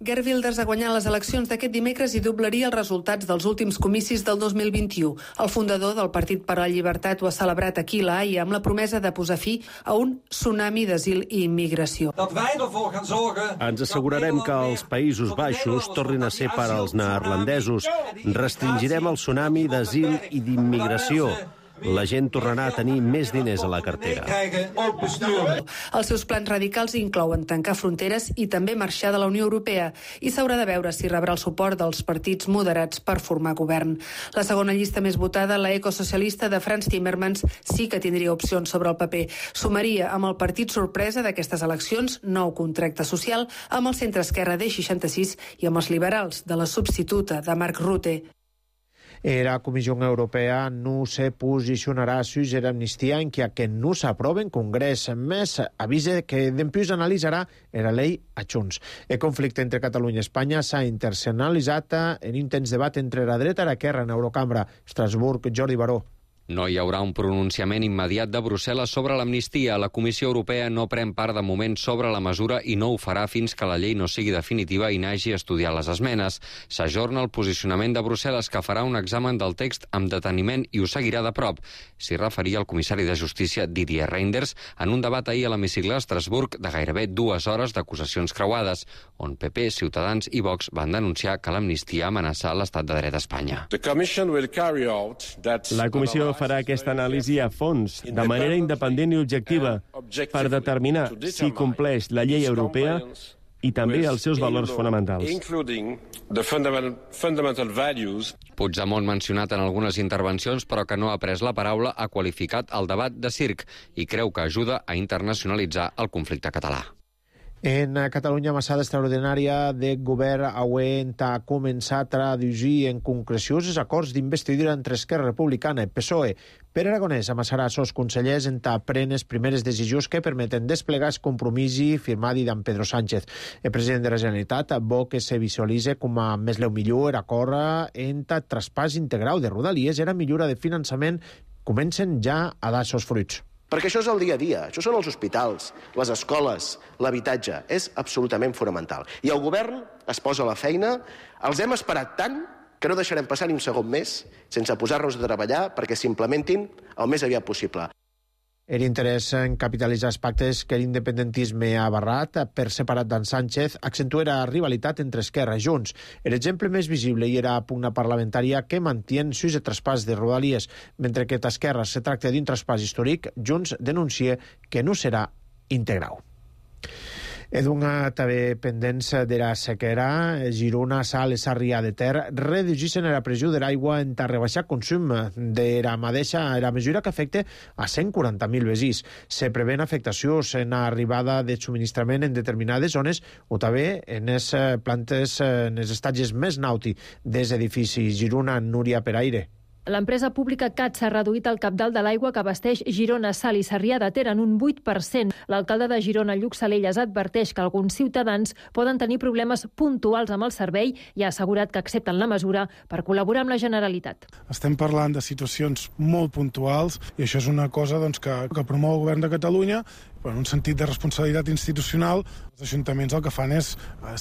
Geert Wilders ha guanyat les eleccions d'aquest dimecres i doblaria els resultats dels últims comicis del 2021. El fundador del Partit per a la Llibertat ho ha celebrat aquí a La Haia amb la promesa de posar fi a un tsunami d'asil i immigració. Ens assegurarem que els Països Baixos tornin a ser per als neerlandesos. Restringirem el tsunami d'asil i d'immigració. La gent tornarà a tenir més diners a la cartera. Els seus plans radicals inclouen tancar fronteres i també marxar de la Unió Europea i s'haurà de veure si rebrà el suport dels partits moderats per formar govern. La segona llista més votada, la ecosocialista de Frans Timmermans, sí que tindria opcions sobre el paper. Sumaria amb el partit sorpresa d'aquestes eleccions, Nou Contracte Social, amb el centre-esquerra D66 i amb els liberals de la substituta de Mark Rutte. La Comissió Europea no se posicionarà a sujet d'amnistia en que no s'aprova en Congrés. Més avisa que dempuix analitzarà la llei a Junts. El conflicte entre Catalunya i Espanya s'ha internacionalitzat en intens debat entre la dreta i l'esquerra en Eurocambra. Estrasburg, Jordi Baró. No hi haurà un pronunciament immediat de Brussel·les sobre l'amnistia. La Comissió Europea no pren part de moment sobre la mesura i no ho farà fins que la llei no sigui definitiva i n'hagi estudiat les esmenes. S'ajorna el posicionament de Brussel·les, que farà un examen del text amb deteniment i ho seguirà de prop. S'hi referia el comissari de Justícia Didier Reynders en un debat ahir a l'hemicicle a Estrasburg de gairebé 2 hores d'acusacions creuades, on PP, Ciutadans i Vox van denunciar que l'amnistia amenaça l'estat de dret a Espanya. La Comissió farà aquesta anàlisi a fons, de manera independent i objectiva, per determinar si compleix la llei europea i també els seus valors fonamentals. Puigdemont, mencionat en algunes intervencions, però que no ha pres la paraula, ha qualificat el debat de circ i creu que ajuda a internacionalitzar el conflicte català. En Catalunya, massada extraordinària de govern auent ha començat a traduir en concrecions els acords d'investidura entre Esquerra Republicana i PSOE. Pere Aragonès amassarà els consellers en pren les primeres decisions que permeten desplegar el compromís firmat d'en Pedro Sánchez. El president de la Generalitat vol que se visualitzi com a més leu millor acord en traspàs integral de Rodalies i la millora de finançament comencen ja a dar els fruits. Perquè això és el dia a dia, això són els hospitals, les escoles, l'habitatge, és absolutament fonamental. I el govern es posa a la feina, els hem esperat tant que no deixarem passar ni un segon més sense posar-nos a treballar perquè s'implementin el més aviat possible. L'interès en capitalitzar els pactes que l'independentisme ha barrat per separat d'en Sánchez accentua la rivalitat entre Esquerra i Junts. L'exemple més visible hi era la pugna parlamentària que mantiene sus el traspàs de Rodalies. Mentre que d'Esquerra se tracta d'un traspàs històric, Junts denuncia que no serà integral. Edunga també pendents de la sequera, Girona, Sal i Sarrià de Ter reduïssin la pressió de l'aigua en rebaixar consum de la mateixa la mesura que afecta a 140.000 veïns. Se prevén afectacions en l'arribada de subministrament en determinades zones o també en les plantes, en els estatges més nauti dels edificis. Girona, Núria Peraire. L'empresa pública CAT s'ha reduït el cabdal de l'aigua que abasteix Girona, Sal i Sarrià de Ter en un 8%. L'alcalde de Girona, Lluc Salelles, adverteix que alguns ciutadans poden tenir problemes puntuals amb el servei i ha assegurat que accepten la mesura per col·laborar amb la Generalitat. Estem parlant de situacions molt puntuals i això és una cosa que promou el govern de Catalunya en un sentit de responsabilitat institucional. Els ajuntaments el que fan és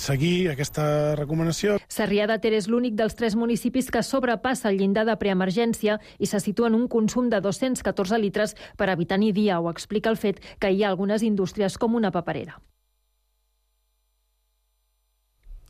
seguir aquesta recomanació. Sarrià de Ter és l'únic dels 3 municipis que sobrepassa el llindar de preemergència i se situa en un consum de 214 litres per habitant i dia. Ho explica el fet que hi ha algunes indústries com una paperera.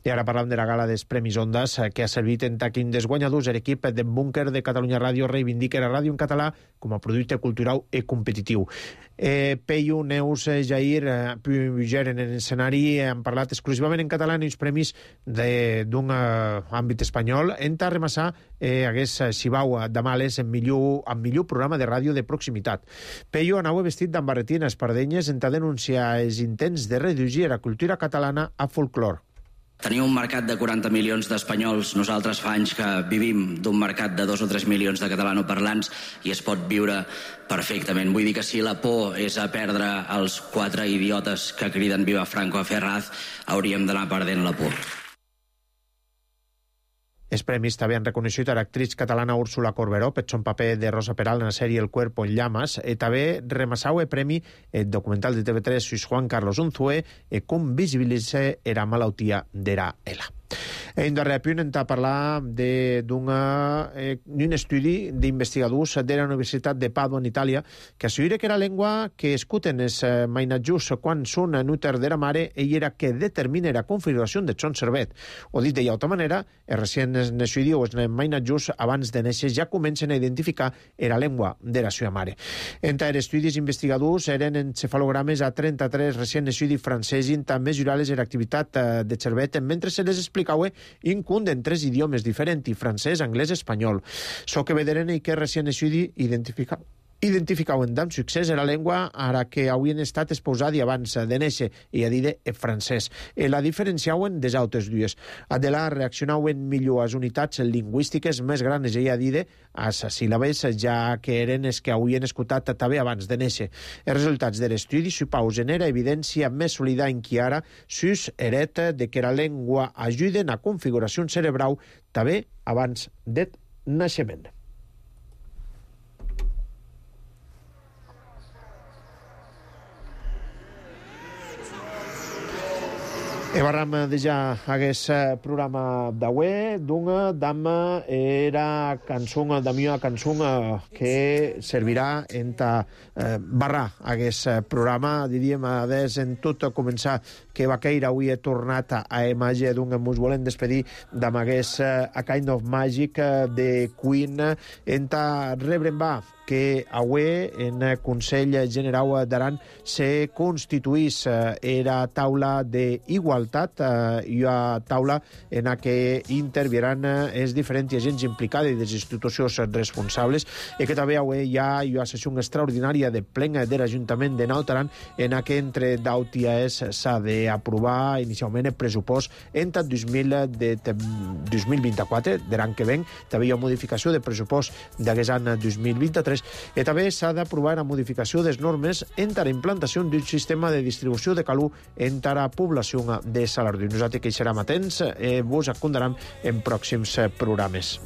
I ara parlam de la gala dels Premis Ondas, que ha servit en taquín dels guanyadors. L'equip de Búnquer de Catalunya Ràdio reivindica la ràdio en català com a producte cultural i competitiu. Peyu, Neus, Jair, Puger en l'escenari han parlat exclusivament en català en els premis d'un àmbit espanyol. En remassar hagués Xibau de Males en millor programa de ràdio de proximitat. Peyu anava vestit amb barretines pardenyes en denunciar els intents de reduir la cultura catalana a folclor. Tenim un mercat de 40 milions d'espanyols. Nosaltres fa anys que vivim d'un mercat de 2 o 3 milions de catalanoparlants i es pot viure perfectament. Vull dir que si la por és a perdre els 4 idiotes que criden Viva Franco a Ferraz, hauríem d'anar perdent la por. Els premis també han reconegut a l'actriz catalana Úrsula Corberó per son paper de Rosa Peral en la sèrie El cuerpo en llamas. També remassau el premi el documental de TV3 sus Juan Carlos Unzué com visibilitza la malaltia de la ELA. En darrer punt hem de parlar d'un estudi d'investigadors de la Universitat de Padua en Itàlia que assegura que la llengua que escuten els mainatjos quan són en úter de la mare era que determina la configuració de son cervet. O dit d'altra manera, els recents naixuts o els mainatjos abans de néixer ja comencen a identificar la llengua de la seva mare. Entre els estudis investigadors eren encefalogrames a 33 recents naixuts francesos també mesurar-les l'activitat de cervet mentre se les explicava incund en 3 idiomes diferents, francès, anglès i espanyol. So que vederen que recient estudi identificaven amb succés la llengua ara que havien estat exposats abans de néixer, i a dir francès. La diferenciaven des altres dues. De la reaccionaven millor a les unitats lingüístiques més grans, i a dir als síl·labes, ja que eren els que havien escoltat també abans de néixer. Els resultats de l'estudi supausen era evidència més sòlida en qui ara sus heret de que la llengua ajuden a configuració cerebral també abans del naixement. Barram déjà aquest programa d'avui, d'una dama era cançó, la meva cançó que servirà en barrar aquest programa, diríem, des en tot començar que Baqueira avui he tornat a imatge d'un ens volem despedir d'amb aquest A Kind of Magic de Queen en rebre en va que avui en Consell Generau d'Aran se constituís era taula d'igualtat i a taula en la que intervieran els diferents agents implicats i les institucions responsables i que també avui hi ha una sessió extraordinària de plen de l'Ajuntament de Naut Aran en la que entre daut i AES s'ha d'aprovar inicialment el pressupost entre 2024 de l'any que ven. També hi ha modificació de pressupost d'aquest any 2023 i també s'ha d'aprovar la modificació de les normes entre la implantació d'un sistema de distribució de calor entre la població de Salardú. Nosaltres que hi serem atents vos acondaram en pròxims programes.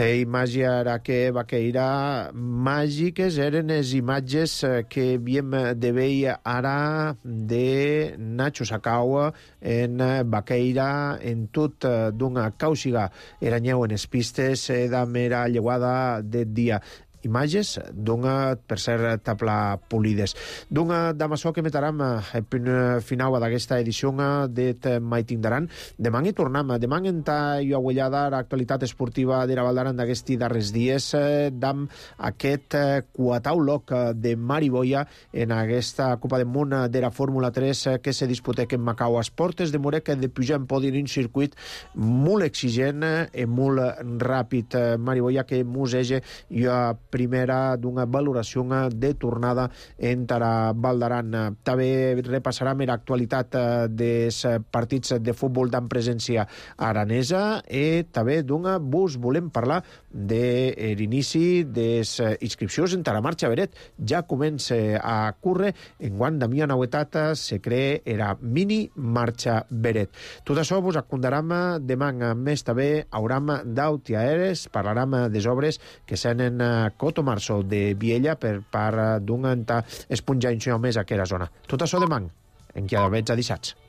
La imatge era que vaqueira màgiques eren les imatges que havíem de veure ara de Nacho Sakawa en vaqueira en tot d'una càusiga. Eranyeu en les pistes de mera lleguada de dia. Imatges d'una, per ser tabla polides. D'una d'amaçò que metaram el final d'aquesta edició de Maiting d'Aran. Demà hi tornem. Demà entra i aguellada l'actualitat esportiva de la Val d'Aran d'aquests darrers dies d'am aquest quatau loc de Mariboia en aquesta Copa del Món de la Fórmula 3 que se disputeix en Macau. Esportes de Morec de pujar en podi en un circuit molt exigent i molt ràpid. Mariboia que musege i primera d'una valoració de tornada entre Val d'Aran. També repassarem l'actualitat dels partits de futbol d'en presència aranesa i també d'una vos volem parlar de l'inici de les inscripcions entre la marxa Beret. Ja comença a córrer enguany d'ami novetat se crea era mini marxa Beret. Tot això vos acondaram demà. Més també hauram d'autiaeres, parlarem des obres que senen Coto Marçol de Viella per part d'un esponjar més a aquella zona. Tot això demà, en qui ha d'haver dissats.